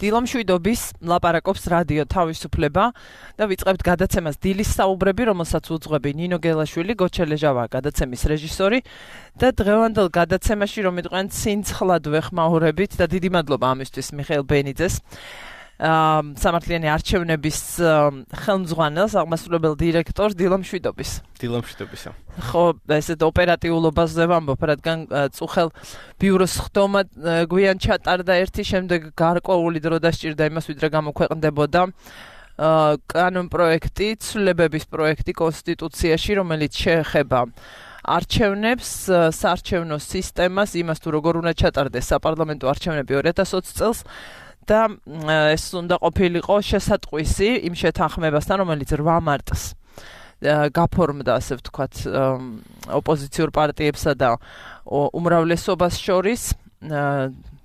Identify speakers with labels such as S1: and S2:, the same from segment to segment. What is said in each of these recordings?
S1: დილამშვიდობის ლაპარაკობს რადიო თავისუფლება და ვიწყებთ გადაცემას დილის საუბრები, რომელსაც უძღვები ნინო გელაშვილი, გოჩელეჟავა გადაცემის რეჟისორი და დღევანდელ გადაცემაში რომ იყვნენ ცინცხლად ვეხმაურებით და დიდი მადლობა ამისთვის მიხეილ ბენიძეს. სამართლიანი არჩევნების ხელმძღვანელს, აღმასრულებელ დირექტორს დილამშვიდობის.
S2: დილამშვიდობისა.
S1: ხო, ესეთ ოპერატიულობაზე ვამბობ, რადგან წუხელ ბიუროს ხდომა გვიან ჩატარდა ერთი, შემდეგ გარკვეული დრო დასჭირდა იმას, ვიდრე გამოქვეყნდებოდა კანონ პროექტი, ცვლილებების პროექტი კონსტიტუციაში, რომელიც შეეხება არჩევნებს, საარჩევნო სისტემას, იმას თუ როგორ უნდა ჩატარდეს საპარლამენტო არჩევნები 2020 წელს. და ეს უნდა ყოფილიყო შესატყვისი იმ შეთანხმებასთან, რომელიც 8 მარტს გაფორმდა, ასე ვთქვათ, ოპოზიციურ პარტიებსა და უმრავლესობას შორის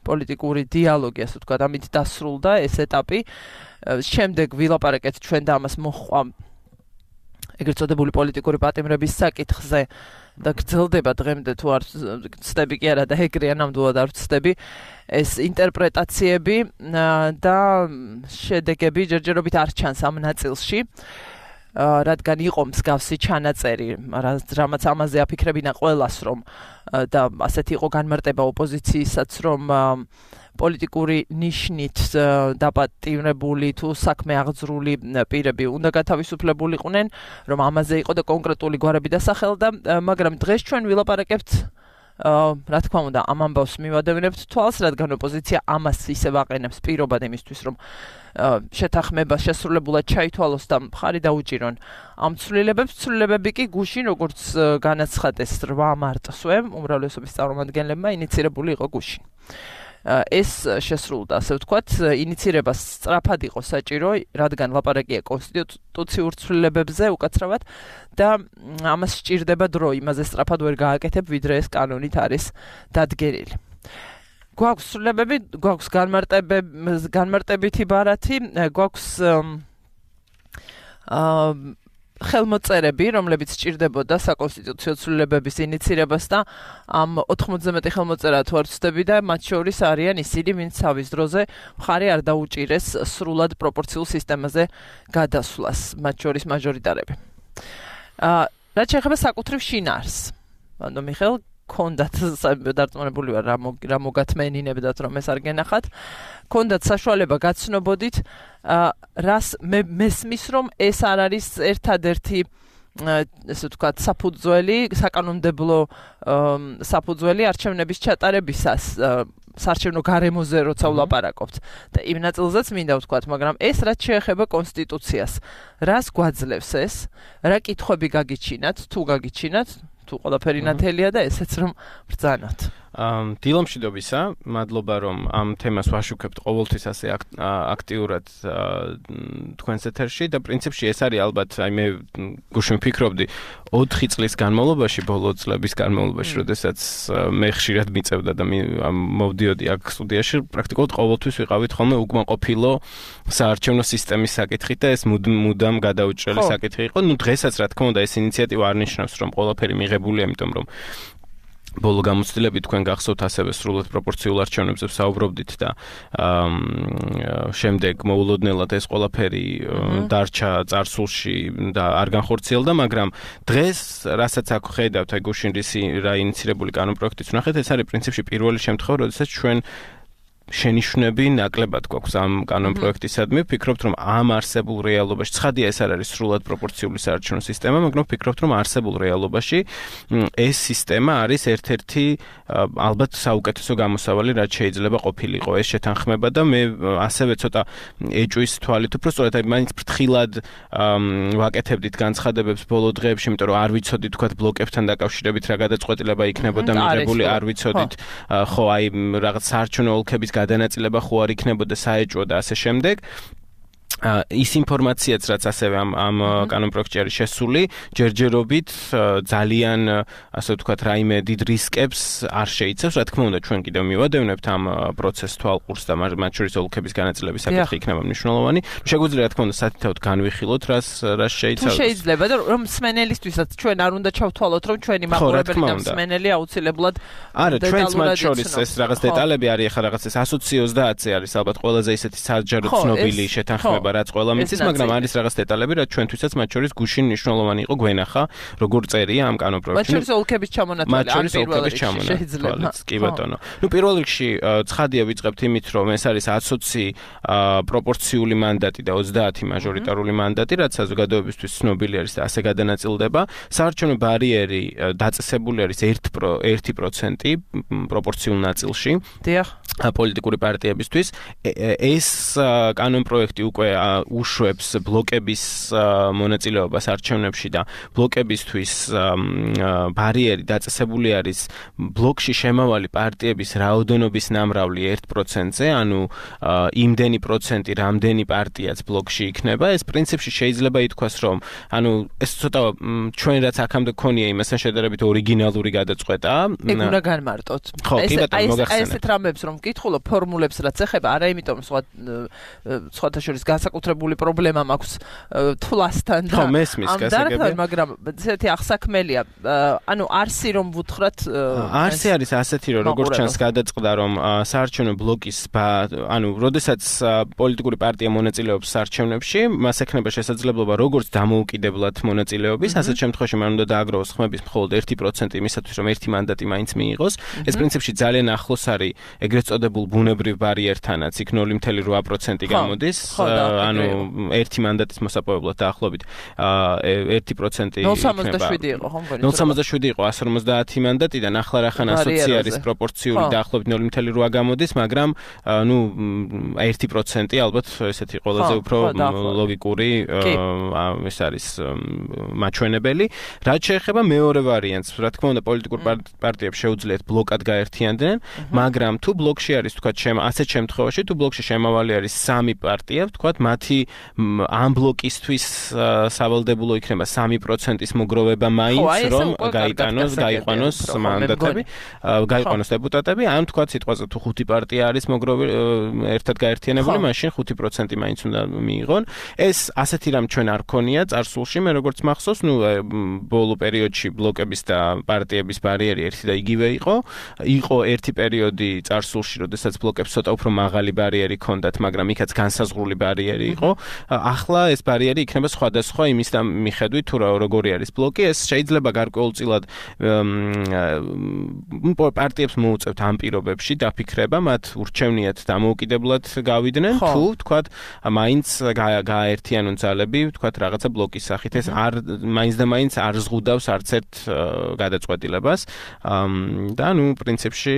S1: პოლიტიკური დიალოგი, ასე ვთქვათ, ამით დასრულდა ეს ეტაპი. შემდეგ ვილაპარაკეთ ჩვენ და ამას მოჰყვა ეგრეთ წოდებული პოლიტიკური პატიმრების საკითხზე და გრძელდება დღემდე თუ არ ვცდები კი არა და ეგრეა ნამდვილად არ ვცდები ეს ინტერპრეტაციები და შედეგები ჯერჯერობით არ ჩანს ამ ნაწილში, რადგან იყო მსგავსი ჩანაწერი, რამაც ამაზე აფიქრებინა ყველას, რომ და ასეთი იყო განმარტება ოპოზიციისაც, რომ პოლიტიკური ნიშნით დაპატიმრებული თუ საქმე აღძრული პირები უნდა გათავისუფლებულიყვნენ, რომ ამაზე იყო და კონკრეტული გვარები დასახელდა, მაგრამ დღეს ჩვენ ვილაპარაკებთ, რა თქმა უნდა, ამ ამბავს მივადევნებთ თვალს, რადგან ოპოზიცია ამას ისევ აყენებს პირობად იმისთვის, რომ შეთანხმება შესრულებულად ჩაითვალოს და მხარი დაუჭირონ ამ ცვლილებებს. ცვლილებები კი გუშინ, როგორც განაცხადეს 8 მარტსვე, უმრავლესობის წარმომადგენლებმა ინიცირებული იყო გუშინ. ეს შესრულდა, ასე ვთქვათ, ინიცირებას სწრაფად იყო საჭირო, რადგან ლაპარაკია კონსტიტუციურ ცვლილებებზე უკაცრავად და ამას სჭირდება დრო, იმაზე სწრაფად ვერ გააკეთებ, ვიდრე ეს კანონით არის დადგენილი. გვაქვს ცვლილებები, გვაქვს განმარტებითი ბარათი, გვაქვს ხელმოწერები, რომლებიც სჭირდებოდა საკონსტიტუციო ცვლილებების ინიცირებას და ამ 90 ხელმოწერა თუ არ ვცდები და მათ შორის არიან ისინი, ვინც თავის დროზე მხარი არ დაუჭირეს სრულად პროპორციულ სისტემაზე გადასვლას, მათ შორის მაჟორიტარები. რაც შეეხება საკუთრივ შინაარსს, ანუ მიხეილ კონდათ დარწმუნებული ვარ რა მოგათმენინებდათ რომ ეს არ გენახათ, კონდათ საშუალება გაცნობოდით, რას მესმის რომ ეს არ არის ერთადერთი ესე ვთქვათ საფუძველი, საკანონმდებლო საფუძველი არჩევნების ჩატარებისას საარჩევნო გარემოზე როცა ვლაპარაკობთ და იმ ნაწილზეც მინდა ვთქვათ, მაგრამ ეს რაც შეეხება კონსტიტუციას, რას გვაძლევს ეს, რა კითხვები გაგიჩინათ, თუ გაგიჩინათ, თუ ყველაფერი ნათელია და ესეც რომ ბრძანოთ.
S2: დილამშვიდობისა, მადლობა რომ ამ თემას ვაშუქებთ ყოველთვის ასე აქტიურად თქვენს ეთერში და პრინციპში ეს არის ალბათ, მე გუშინ ვფიქრობდი 4 წლის განმავლობაში, ბოლო წლების განმავლობაში, როდესაც მე ხშირად მიწევდა და მოვდიოდი აქ სტუდიაში, პრაქტიკულად ყოველთვის ვიყავით ხოლმე უკმაყოფილო საარჩევნო სისტემის საკითხით და ეს მუდამ გადაუჭრელი საკითხი იყო. ნუ დღესაც რა თქმა უნდა ეს ინიციატივა არ ნიშნავს რომ ყველაფერი მიღებულია, იმიტომ რომ ბოლო გამოცდილებით თქვენ გახსოვთ ასევე სრულად პროპორციულ არჩევნებზე ვსაუბრობდით და შემდეგ მოულოდნელად ეს ყველაფერი დარჩა წარსულში და არ განხორციელდა, მაგრამ დღეს რასაც აქ ხედავთ, აი გუშინ რა ინიცირებული კანონპროექტიც ვნახეთ, ეს არის პრინციპში პირველი შემთხვევა, როდესაც ჩვენ შენიშვნები ნაკლებად გვაქვს ამ კანონპროექტისადმი. ვფიქრობთ, რომ ამ არსებულ რეალობაში, ცხადია ეს არ არის სრულად პროპორციული საარჩევნო სისტემა, მაგრამ ვფიქრობთ, რომ არსებულ რეალობაში ეს სისტემა არის ერთ-ერთი ალბათ საუკეთესო გამოსავალი, რაც შეიძლება ყოფილიყო ეს შეთანხმება და მე ასევე ცოტა ეჭვის თვალით უფრო სწორედ აი მაინც ფრთხილად ვაკეთებდით განცხადებებს ბოლო დღეებში, იმიტომ რომ არ ვიცოდით თქვათ ბლოკებთან დაკავშირებით რა გადაწყვეტილება იქნებოდა მიღებული, არ ვიცოდით ხო აი რაღაც საარჩევნო ოლქების გადანაწილება ხო არ იქნებოდა საეჭვო და ასე შემდეგ. ის ინფორმაციაც რაც ასევე ამ კანონპროექტში არის შესული, ჯერჯერობით ძალიან ასე ვთქვათ, რაიმე დიდ რისკებს არ შეიცავს. Რა თქმა უნდა, ჩვენ კიდევ მივადევნებთ ამ პროცესს თვალყურს და მათ შორის ოლქების განაწილების საკითხი იქნება მნიშვნელოვანი. შეგვიძლია რა თქმა უნდა სათითაოდ განვიხილოთ, რას შეიცავს.
S1: თუ შეიძლება და რომ მსმენელისთვისაც ჩვენ არ უნდა ჩავთვალოთ, რომ ჩვენი მაყურებელი და მსმენელი აუცილებლად
S2: არა, ჩვენც მათ შორის ეს რაღაც დეტალები არის, ახლა რაღაც ეს 120-ზე არის ალბათ ყველაზე ისეთი საჯარო ცნობილი შეთანხმება, რაც ყველა მიცის, მაგრამ არის რაღაც დეტალები, რაც ჩვენთვისაც მათ შორის გუშინ მნიშვნელოვანი იყო გვენახა, როგორ წერია ამ კანონპროექტში.
S1: მათ შორის ოლქების ჩამონათვალი, ან პირველ რიგში შეიძლება.
S2: კი ბატონო. პირველ რიგში ცხადია ვიწყებთ იმით, რომ ეს არის 120 პროპორციული მანდატი და 30 მაჟორიტარული მანდატი, რაც საზოგადოებისთვის ცნობილი არის და ასე გადანაწილდება. საარჩევნო ბარიერი დაწესებული არის 1% პროპორციულ ნაწილში.
S1: დიახ.
S2: პოლიტიკური პარტიებისთვის ეს კანონპროექტი უკვე უშვებს ბლოკების მონაწილეობას არჩევნებში და ბლოკებისთვის ბარიერი დაწესებული არის ბლოკში შემავალი პარტიების რაოდენობის ნამრავლი 1%-ზე, ანუ იმდენი პროცენტი, რამდენი პარტიაც ბლოკში იქნება. ეს პრინციპში შეიძლება ითქვას, რომ ანუ ეს ცოტა ჩვენ რაც აქამდე გქონია იმასთან შედარებით ორიგინალური გადაწყვეტა.
S1: ეგ უნდა განმარტოთ.
S2: ხო, კი ბატონო, მოგახსენეთ.
S1: ესეთ რამებს რომ ვკითხულობ ფორმულებს რაც ეხება, არა იმიტომ სხვათა შორის განსაკუთრებული პრობლემა მაქვს თვლასთან და
S2: მესმის გასაგებია,
S1: მაგრამ ესეთი ახსაქმელია. ანუ არსი რომ ვუთხრათ,
S2: არსი არის ასეთი, რომ როგორც ჩანს გადაწყდა, რომ საარჩევნო ბლოკის ანუ როდესაც პოლიტიკური პარტია მონაწილეობს საარჩევნებში, მას ექნება შესაძლებლობა როგორც დამოუკიდებლად მონაწილეობის, ასეთ შემთხვევაში მან უნდა დააგროვოს ხმების მხოლოდ 1% იმისათვის, რომ ერთი მანდატი მაინც მიიღოს. ეს პრინციპში ძალიან ახლოს არის ეგრეთ წოდებულ ბუნებრივ ბარიერთანაც, იქ 0.8% გამოდის, ანუ ერთი მანდატის მოსაპოვებლად დაახლოებით 1%
S1: 0.67 იყო, ხო მგონი?
S2: 0.67 იყო 150 მანდატიდან, ახლა რახან 120 არის პროპორციული დაახლოებით 0.8 გამოდის, მაგრამ ნუ 1% ალბათ ესეთი ყველაზე უფრო ლოგიკური ეს არის მაჩვენებელი. რაც შეეხება მეორე ვარიანტს, რა თქმა უნდა, პოლიტიკურ პარტიებს შეუძლიათ ბლოკად გაერთიანდნენ, მაგრამ თუ ბლოკში არის თქვათ ასეთ შემთხვევაში, თუ ბლოკში შემავალი არის 3 პარტია, თქვათ მათი ამ ბლოკისთვის სავალდებულო იქნება 3%-ის მოგროვება მაინც, რომ გაიყვანოს მანდატები, გაიყვანოს დეპუტატები, ან თქვათ სიტყვაზე თუ 5 პარტია არის ერთად გაერთიანებული, მაშინ 5% მაინც უნდა მიიღონ. ეს ასეთი რამ ჩვენ არ გქონია წარსულში, მე როგორც მახსოვს, ბოლო პერიოდში ბლოკების და პარტიების ბარიერი ერთი და იგივე იყო. იყო ერთი პერიოდი წარსულში, როდესაც ბლოკებს ცოტა უფრო მაღალი ბარიერი ჰქონდათ, მაგრამ იქაც განსაზღვრული ბარიერი იყო. ახლა ეს ბარიერი იქნება სხვადასხვა იმის მიხედვით, თუ როგორი არის ბლოკი. ეს შეიძლება გარკვეულწილად პარტიებს მოუწევთ ამ პირობებში დაფიქრება, მათ ურჩევნიათ დამოუკიდებლად გავიდნენ, თუ თქვათ მაინც გააერთიანონ ძალები, თქვათ რაღაცა ბლოკის სახით. ეს მაინც და მაინც არ ზღუდავს არც ერთ გადაწყვეტილებას. და პრინციპში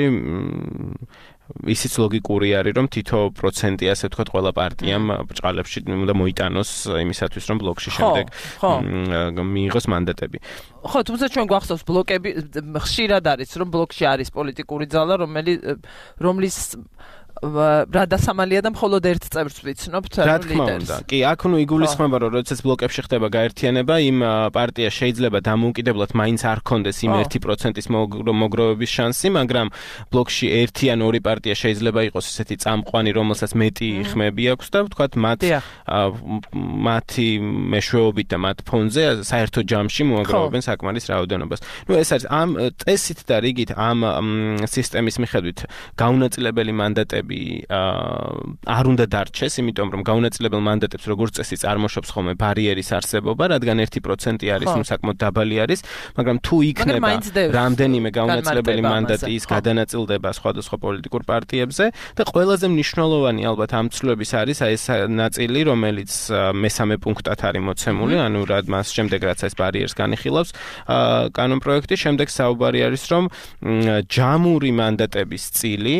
S2: ისიც ლოგიკური არის, რომ თითო პროცენტი ასე ვთქვათ ყველა პარტიამ ბრჭყალებში უნდა მოიტანოს იმისათვის, რომ ბლოკში შემდეგ მიიღოს მანდატები.
S1: ხო, თუმცა ჩვენ გვახსოვს ბლოკები ხშირად არის, რომ ბლოკში არის პოლიტიკური ძალა, რომლის რადასამალია და მხოლოდ ერთ წევრს ვიცნობთ,
S2: რა თქმა უნდა. კი, აქ იგულისხმება, რომ როდესაც ბლოკებში ხდება გაერთიანება, იმ პარტიას შეიძლება დამოუკიდებლად მაინც არ ჰქონდეს იმ 1%-ის მოგროვების შანსი, მაგრამ ბლოკში ერთი ან ორი პარტია შეიძლება იყოს ესეთი წამყვანი, რომელსაც მეტი ხმები აქვს და ვთქვათ, მათი მეშვეობით და მათ ფონზე საერთო ჯამში მოაგროვებენ საკმარის რაოდენობას. ეს არის ამ წესით და რიგით ამ სისტემის მიხედვით გაუნაწილებელი მანდატები არ უნდა დარჩეს, იმიტომ რომ გაუნაწილებელ მანდატებს როგორც წესი წარმოშობს ხოლმე ბარიერის არსებობა, რადგან 1% არის, საკმაოდ დაბალი არის, მაგრამ თუ იქნება რამდენიმე გაუნაწილებელი მანდატი ის გადანაწილდება სხვადასხვა პოლიტიკურ პარტიებზე და ყველაზე მნიშვნელოვანი ალბათ ამ ცვლილების არის ეს ნაწილი, რომელიც მესამე პუნქტად არის მოცემული, ანუ მას შემდეგ რაც ეს ბარიერს განიხილავს კანონპროექტი, შემდეგ საუბარი არის, რომ ჯამური მანდატების წილი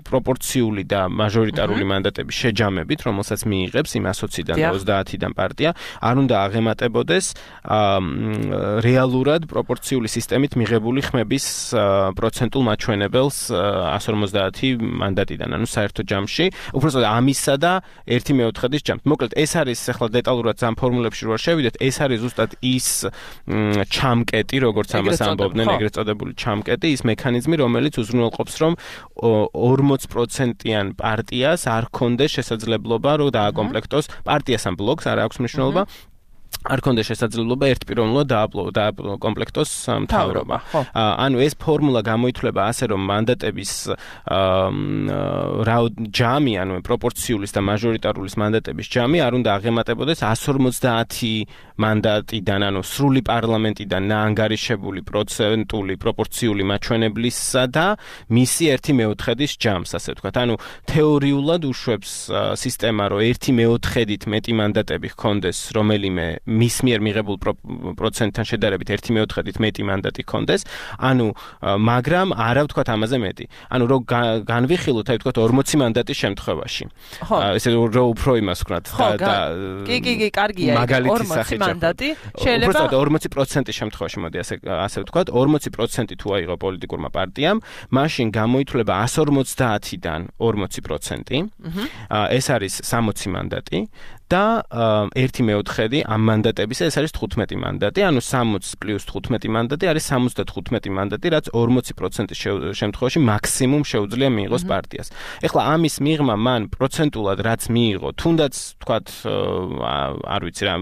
S2: პროპორციული და მაჟორიტარული მანდატების შეჯამებით, რომელსაც მიიღებს იმ 120-დან და 30-დან პარტია, არ უნდა აღემატებოდეს რეალურად პროპორციული სისტემით მიღებული ხმების პროცენტულ მაჩვენებელს 150 მანდატიდან, ანუ საერთო ჯამში, უბრალოდ ამისა და 1/4-ის ჯამით. მოკლედ, ეს არის ახლა დეტალურად ამ ფორმულებში რო შევიდეთ, ეს არის ზუსტად ის ჩამკეტი, როგორც ამას ამბობდნენ, ეგრეთ წოდებული ჩამკეტი, ის მექანიზმი, რომელიც უზრუნველყოფს, რომ 40%-იან პარტიას არ ქონდეს შესაძლებლობა, რომ დააკომპლექტოს პარტიას ან ბლოკს, არ აქვს მნიშვნელობა. არ ქონდეს შესაძლებლობა ერთპიროვნულად დააკომპლექტოს მთავრობა. ანუ ეს ფორმულა გამოითვლება ასე, რომ მანდატების ჯამი, ანუ პროპორციulis და მაჟორიტარულის მანდატების ჯამი არ უნდა აღემატებოდეს 150 მანდატიდან, ანუ სრული პარლამენტიდან ნაანგარიშებული პროცენტული პროპორციული მაჩვენებლისა და მისი 1/4-ის ჯამს, ასე ვთქვათ. ანუ თეორიულად უშვებს სისტემა, რომ 1/4-ით მეტი მანდატები ჰქონდეს რომელიმე მის მიერ მიღებულ პროცენტთან შედარებით 1/4-ით მეტი მანდატი ჰქონდეს, ანუ მაგრამ არა ვთქვათ ამაზე მეტი. ანუ რო განვიხილოთ, აი ვთქვათ 40 მანდატის შემთხვევაში. ესე რო უფრო იმას ვქნათ და
S1: კი, კარგია, 40 მანდატი შეიძლება
S2: უბრალოდ 40%-ის შემთხვევაში, მოდი ასე ვთქვათ, 40% თუ აიღო პოლიტიკურმა პარტიამ, მაშინ გამოითვლება 150-დან 40%. ეს არის 60 მანდატი. და 1/4 ამ მანდატებისა, ეს არის 15 მანდატი, ანუ 60 + 15 მანდატი არის 75 მანდატი, რაც 40%-ის შემთხვევაში მაქსიმუმ შეუძლია მიიღოს პარტიას. ეხლა ამის მიღმა მან პროცენტულად რაც მიიღო, თუნდაც თქვათ, არ ვიცი რა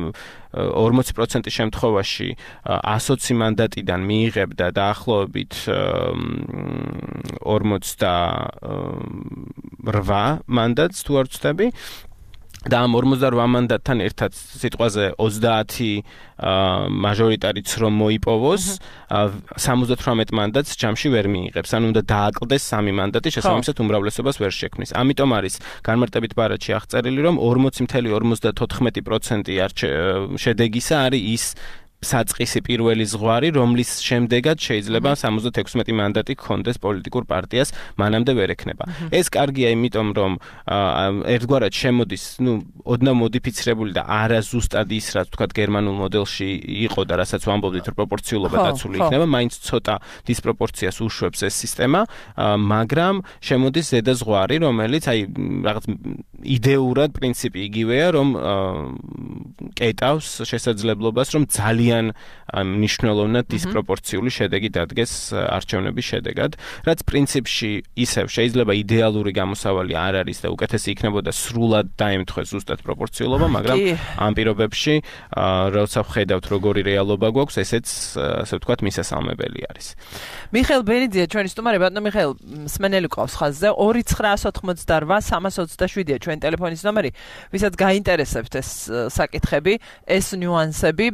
S2: 40%-ის შემთხვევაში 120 მანდატიდან მიიღებდა დაახლოებით 48 მანდატს თუ არ ვცდები. და ამ 48 მანდატთან ერთად სიტყვაზე 30 მაჟორიტარიც რომ მოიპოვოს, 78 მანდატს ჯამში ვერ მიიღებს. ანუ უნდა დააკლდეს 3 მანდატი, შესაბამისად უმრავლესობას ვერ შექმნის. ამიტომ არის განმარტებით ბარათში აღწერილი, რომ 40.54% შედეგისა არის ის საწყისი პირველი ზღვარი, რომლის შემდეგაც შეიძლება 76 მანდატი გქონდეს პოლიტიკურ პარტიას, მანამდე ვერ ექნება. ეს კარგია, იმიტომ რომ ერთგვარად შემოდის, ოდნავ მოდიფიცირებული და არა ზუსტად ის, რაც თქვათ გერმანულ მოდელში იყო და რასაც ვამბობდით, რომ პროპორციულობა დაცული იქნება, მაინც ცოტა დისპროპორციას უშვებს ეს სისტემა, მაგრამ შემოდის ზედა ზღვარი, რომელიც აი რაღაც იდეურად პრინციპი იგივეა, რომ კეტავს შესაძლებლობას, რომ ძალიან მნიშვნელოვნად დისპროპორციული შედეგი დადგეს არჩევნების შედეგად, რაც პრინციპში ისევ შეიძლება იდეალური გამოსავალი არ არის და უკეთესი იქნებოდა სრულად დაემთხვეს ზუსტად პროპორციულობა, მაგრამ ამ პირობებში, როცა ვხედავთ როგორი რეალობა გვაქვს, ესეც ასე ვთქვათ მისასალმებელი არის.
S1: მიხეილ ბენიძია ჩვენი სტუმარი, ბატონო მიხეილ, მსმენელი ყავს ხაზზე 29888-ია ჩვენი ტელეფონის ნომერი, ვისაც გაინტერესებთ ეს საკითხები, ეს ნიუანსები,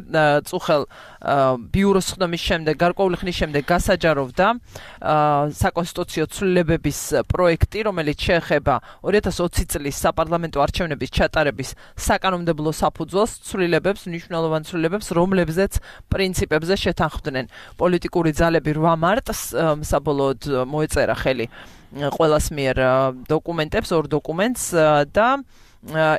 S1: წუხელ ბიუროს ხდომის შემდეგ, გარკვეული ხნის შემდეგ გასაჯაროვდა საკონსტიტუციო ცვლილებების პროექტი, რომელიც შეეხება 2020 წლის საპარლამენტო არჩევნების ჩატარების საკანონმდებლო საფუძველს, ცვლილებებს, მნიშვნელოვან ცვლილებებს, რომლებზეც პრინციპებზე შეთანხმდნენ პოლიტიკური ძალები 8 მარტს, საბოლოოდ მოეწერა ხელი ყველას მიერ დოკუმენტებს, 2 დოკუმენტს და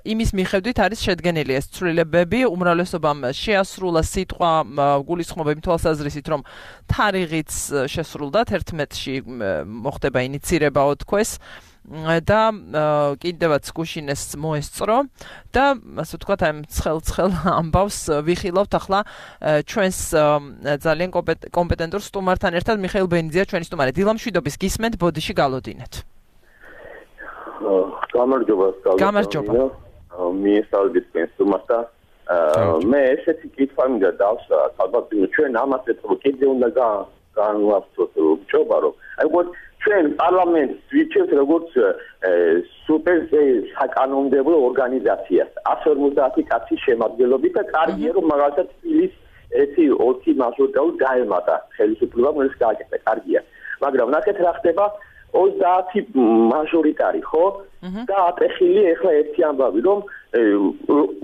S1: იმის მიხედვით არის შედგენილი ეს ცვლილებები, უმრავლესობამ შეასრულა სიტყვა გულისხმობა იმ თვალსაზრისით, რომ თარიღიც შესრულდა 11-ში მოხდება ინიცირებაო თქოს და კიდევაც გუშინეს მოესწრო და ასე ვთქვათ, აი ცხელ ამბავს ვიხილავთ ახლა ჩვენს ძალიან კომპეტენტურ სტუმართან ერთად. მიხეილ ბენიძია ჩვენი სტუმარი. დილამშვიდობის გისმენთ, ბოდიში გალოდინეთ.
S3: გამარჯობა. მიესალმებით სტუმართა. მე ესეთი კითხვა მინდა დავსვათ, ალბათ ჩვენ ამას ეთქო კიდე უნდა განვაფრთხოთ ჯობა, რომ აი ჩვენ პარლამენტს ვიცით როგორც სუპერ საკანონმდებლო ორგანიზაციას 150 კაცის შემადგენლობით და კარგია რომ მაგალითად თბილის 1-2 მაჟორიტარული დაემატა ხელისუფლება, რომელიც გააკეთა, კარგია. მაგრამ ნახეთ რა ხდება 30 მაჟორიტარი, ხო? და ატეხილი ეხლა ერთი ამბავი, რომ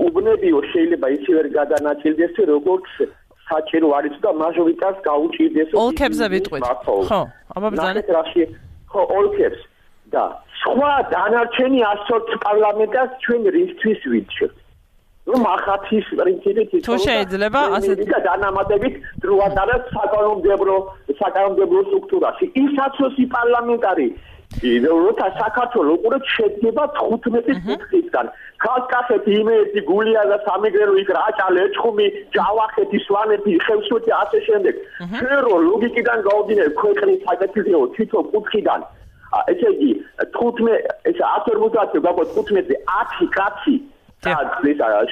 S3: უბნებიო შეიძლება ისე ვერ გადანაწილდეს, როგორც საჭირო არის და მაჟორიტარს გაუჭირდეს.
S1: ოლქებზე ვიტყვით. ხო, აბა ბრძანა.
S3: ხო, ოლქებს. და სხვა დანარჩენი 120 პარლამენტას ჩვენ რისთვის ვიჩვენთ. რომ ახათის პრინციპით
S1: თუ შეიძლება ასეთ
S3: და დანამატებით დროადარას საკანონმდებლო სტრუქტურაში. ისაც ოსი პარლამენტარი როცა საქართველოს უყურეთ შედგება 15 კუთხისგან. კავკასეთი, იმერეთი, გულია და სამეგრელო იქ რაჭალე, ეჩხუმი, ჯავახეთი, სვანეთი, ხევსურეთი ასე შემდეგ. ჩვენ რო ლოგიკიდან გავდინებ ქვეყნის საკეთილო თითო კუთხიდან ესე იგი 150 გაგოთ 15-ზე 10 კაცი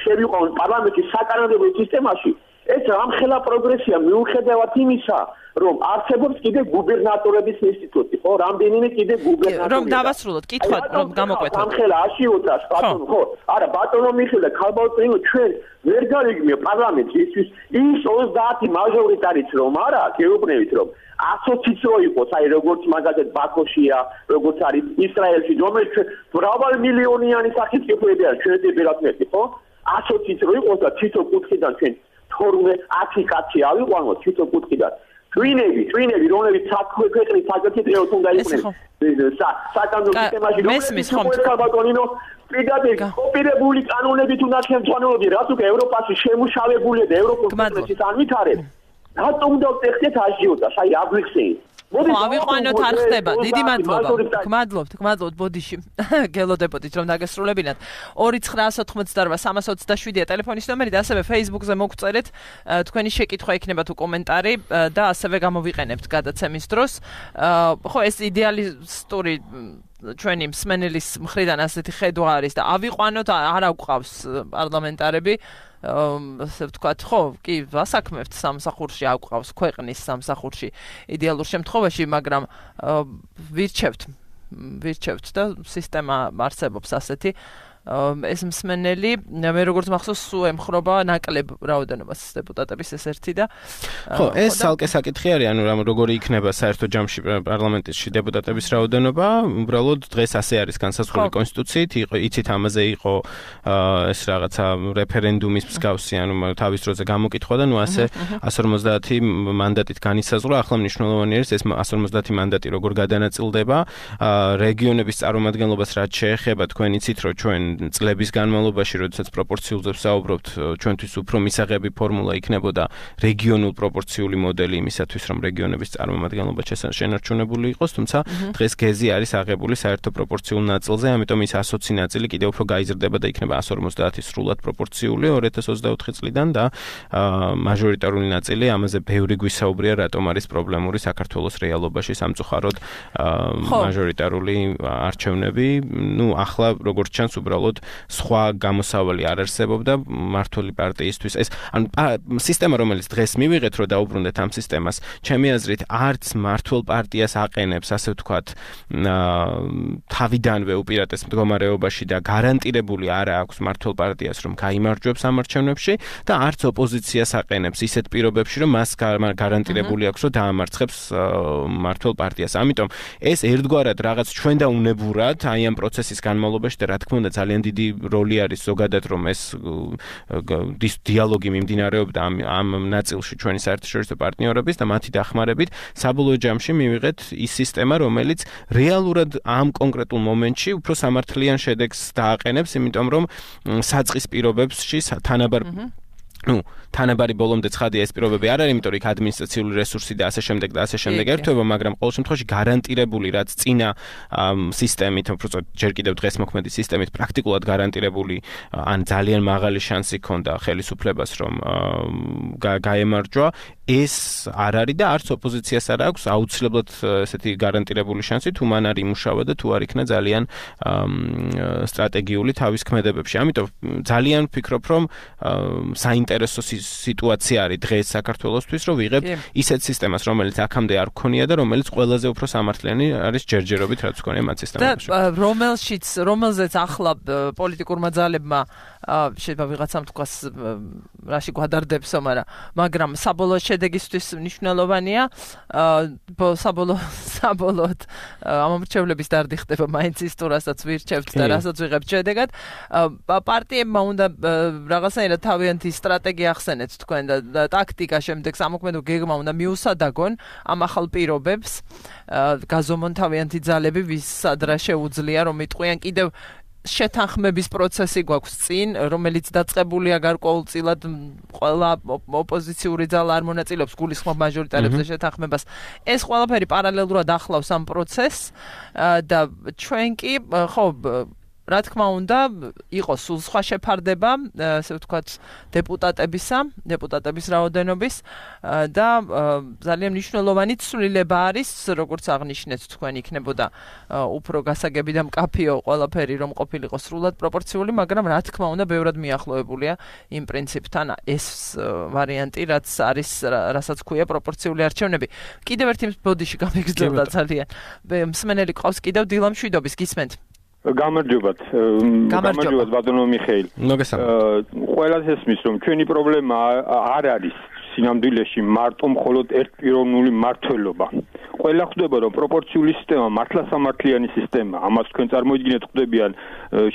S3: შევიყვანოთ პარლამენტის საკანონმდებლო სისტემაში. ეს რამხელა პროგრესია მიუხედავად იმისა, რომ არსებობს კიდე გუბერნატორების ინსტიტუტი, ხო, რამდენიმე კიდე გუბერნატორი.
S1: რომ დავასრულოთ, კითხვა რომ გამოკვეთოთ.
S3: რამხელა აშიოთა ბატონო, ხო? არა, ბატონო მიხელა ქალბატონო ჩვენ ვერ გარიგმია პარლამენტს ის 30 მაჟორიტარიც რომ არა, გეუბნებით რომ 120-იც რო იყოს, აი როგორც მაგალითად ბაქოშია, როგორც არის ისრაელში, რომელიც მრავალმილიონიანი სახით არის ჩვენი ბერატნეთი, ხო? 120-იც რო იყოს და თითო კუთხიდან ჩვენ 12-10 კაცი ავიყვანოთ თითო კუთხიდან. twinები, რომლებიც ქვეყნის საკეთილოდ უნდა იყვნენ. საკანონმდებლო სისტემაში რომელიც ქალბატონინო პირდაპირ კოპირებული კანონებით უნდა შემცვალებოდი, რაც უკვე ევროპაში შემუშავებულია და ევროპის კონგრესის ანვითარებს. რატომ უნდა ვტეხეთ აჟიოტას? აი აგვიხსენით.
S1: ავიყვანოთ არ ხდება. დიდი მადლობა. გმადლობთ ბოდიში. გელოდებოდით რომ დაგესრულებინათ. 29988 ტელეფონის ნომერი და ასევე Facebook-ზე მოგწერეთ თქვენი შეკითხვა იქნება თუ კომენტარი და ასევე გამოვიყენებთ გადაცემის დროს. ხო ეს იდეალისტური ჩვენი მსმენელის მხრიდან ასეთი ხედვა არის და ავიყვანოთ არ აგვყავს პარლამენტარები ასე ვთქვათ, ხო, კი, ვასაქმებთ სამსახურში, აგვყავს ქვეყნის სამსახურში იდეალურ შემთხვევაში, მაგრამ ვირჩევთ და სისტემა არსებობს ასეთი. ეს მსმენელი, მე როგორც მახსოვს, სულ ემხრობა ნაკლებ რაოდენობას დეპუტატების ეს ერთი და
S2: ხო, ეს ალკე საკითხი არის, ანუ როგორი იქნება საერთო ჯამში პარლამენტში დეპუტატების რაოდენობა, უბრალოდ დღეს ასე არის განსაზღვრული კონსტიტუციით, იცით ამაზე იყო ეს რაღაცა რეფერენდუმის მსგავსი, ანუ თავის დროზე გამოკითხვა და ნუ ასე 150 მანდატით განისაზღვრა, ახლა მნიშვნელოვანი არის ეს 150 მანდატი როგორ გადანაწილდება, რეგიონების წარმომადგენლობას რაც შეეხება, თქვენ იცით რომ ჩვენ წლების განმავლობაში, როდესაც პროპორციულზე ვსაუბრობთ, ჩვენთვის უფრო მისაღები ფორმულა იქნებოდა რეგიონულ პროპორციული მოდელი იმისათვის, რომ რეგიონების წარმომადგენლობა შენარჩუნებული იყოს, თუმცა დღეს გეზი არის აღებული საერთო პროპორციულ ნაწილზე, ამიტომ ის 120 ნაწილი კიდევ უფრო გაიზრდება და იქნება 150 სრულად პროპორციული 2024 წლიდან და მაჟორიტარული ნაწილი, ამაზე ბევრი გვისაუბრია, რატომ არის პრობლემური საქართველოს რეალობაში სამწუხაროდ მაჟორიტარული არჩევნები. ნუ ახლა როგორც ჩანს უბრალოდ სხვა გამოსავალი არ არსებობდა მმართველი პარტიისთვის. ეს ანუ სისტემა რომელიც დღეს მივიღეთ რომ დაუბრუნდეთ ამ სისტემას, ჩემი აზრით არც მმართველ პარტიას აყენებს, ასე ვთქვათ, თავიდანვე უპირატეს მდგომარეობაში და გარანტირებული არ აქვს მმართველ პარტიას რომ გაიმარჯვებს ამ არჩევნებში და არც ოპოზიციას აყენებს ისეთ პირობებში რომ მას გარანტირებული აქვს რომ დაამარცხებს მმართველ პარტიას. ამიტომ ეს ერთგვარად რაღაც ჩვენ და უნებურად აი ამ პროცესის განმავლობაში და რა თქმა უნდა ძალიან დიდი როლი არის ზოგადად რომ ეს დიალოგი მიმდინარეობდა ამ ნაწილში ჩვენი საერთაშორისო პარტნიორების და მათი დახმარებით საბოლოო ჯამში მივიღეთ ის სისტემა რომელიც რეალურად ამ კონკრეტულ მომენტში უფრო სამართლიან შედეგს დააყენებს, იმიტომ რომ საწყის პირობებში თანაბარი ბოლომდე ცხადია ეს პირობები არ არის, იმიტომ რომ იქ ადმინისტრაციული რესურსი და ასე შემდეგ ერთვება, მაგრამ ყოველ შემთხვევაში გარანტირებული რაც წინა სისტემით, უბრალოდ ჯერ კიდევ დღეს მოქმედი სისტემით პრაქტიკულად გარანტირებული ან ძალიან მაღალი შანსი ჰქონდა ხელისუფლებას რომ გაემარჯვა, ეს არ არის და არც ოპოზიციას არ აქვს აუცილებლად ესეთი გარანტირებული შანსი თუ მან არ იმუშავა და თუ არ იქნა ძალიან სტრატეგიული თავის ქმედებებში. ამიტომ ძალიან ვფიქრობ რომ საინტერესო სიტუაცია არის დღეს საქართველოსთვის, რომ ვიღებ ისეთ სისტემას, რომელიც აქამდე არ გქონია და რომელიც ყველაზე უფრო სამართლიანი არის ჯერჯერობით, რაც გქონია მათ სისტემებში.
S1: და რომელზეც ახლა პოლიტიკურმა ძალებმა შეიძლება ვიღაცამ თქვას რაში გვადარდებსო, მაგრამ საბოლოო შედეგისთვის მნიშვნელოვანია. საბოლოოდ ამ მრჩევლების დარდი ხდება მაინც ის თუ რასაც ვირჩევთ და რასაც ვიღებთ შედეგად. პარტიებმა უნდა რაღაცნაირად თავიანთი სტრატეგია ახსენეთ თქვენ და ტაქტიკა შემდეგ სამოქმედო გეგმა უნდა მიუსადაგონ ამ ახალ პირობებს. გაზომონ თავიანთი ძალები ვისაც რა შეუძლია რომ იტყვიან კიდევ შეთანხმების პროცესი გვაქვს წინ, რომელიც დაწყებულია გარკვეულწილად ყველა ოპოზიციური ძალა არ მონაწილეობს გულისხმობ მაჟორიტარებზე შეთანხმებას. ეს ყველაფერი პარალელურად ახლავს ამ პროცესს და ჩვენ კი ხო რა თქმა უნდა, იყოს სულ სხვა შეფარდება, ასე ვთქვათ, დეპუტატების რაოდენობის და ძალიან მნიშვნელოვანი ცვლილება არის, როგორც აღნიშნეთ თქვენ, იქნებოდა უფრო გასაგები და მკაფიო ყველაფერი, რომ ყოფილიყო სრულად პროპორციული, მაგრამ რა თქმა უნდა, ბევრად მიახლოებულია იმ პრინციპთან ეს ვარიანტი, რაც არის, რასაც ქვია პროპორციული არჩევნები. კიდევ ერთი ბოდიში გამიგრძელდა ძალიან. მსმენელი ყავს კიდევ დილა მშვიდობის, გისმენთ?
S4: გამარჯობათ ბატონო მიხეილ. ყველას ესმის რომ ჩვენი პრობლემა არ არის სინამდვილეში მარტო მხოლოდ ერთპიროვნული მმართველობა. ყველა ხვდება რომ პროპორციული სისტემა მართლასამართლიანი სისტემაა. ამას თქვენ წარმოიდგინეთ ხვდებიან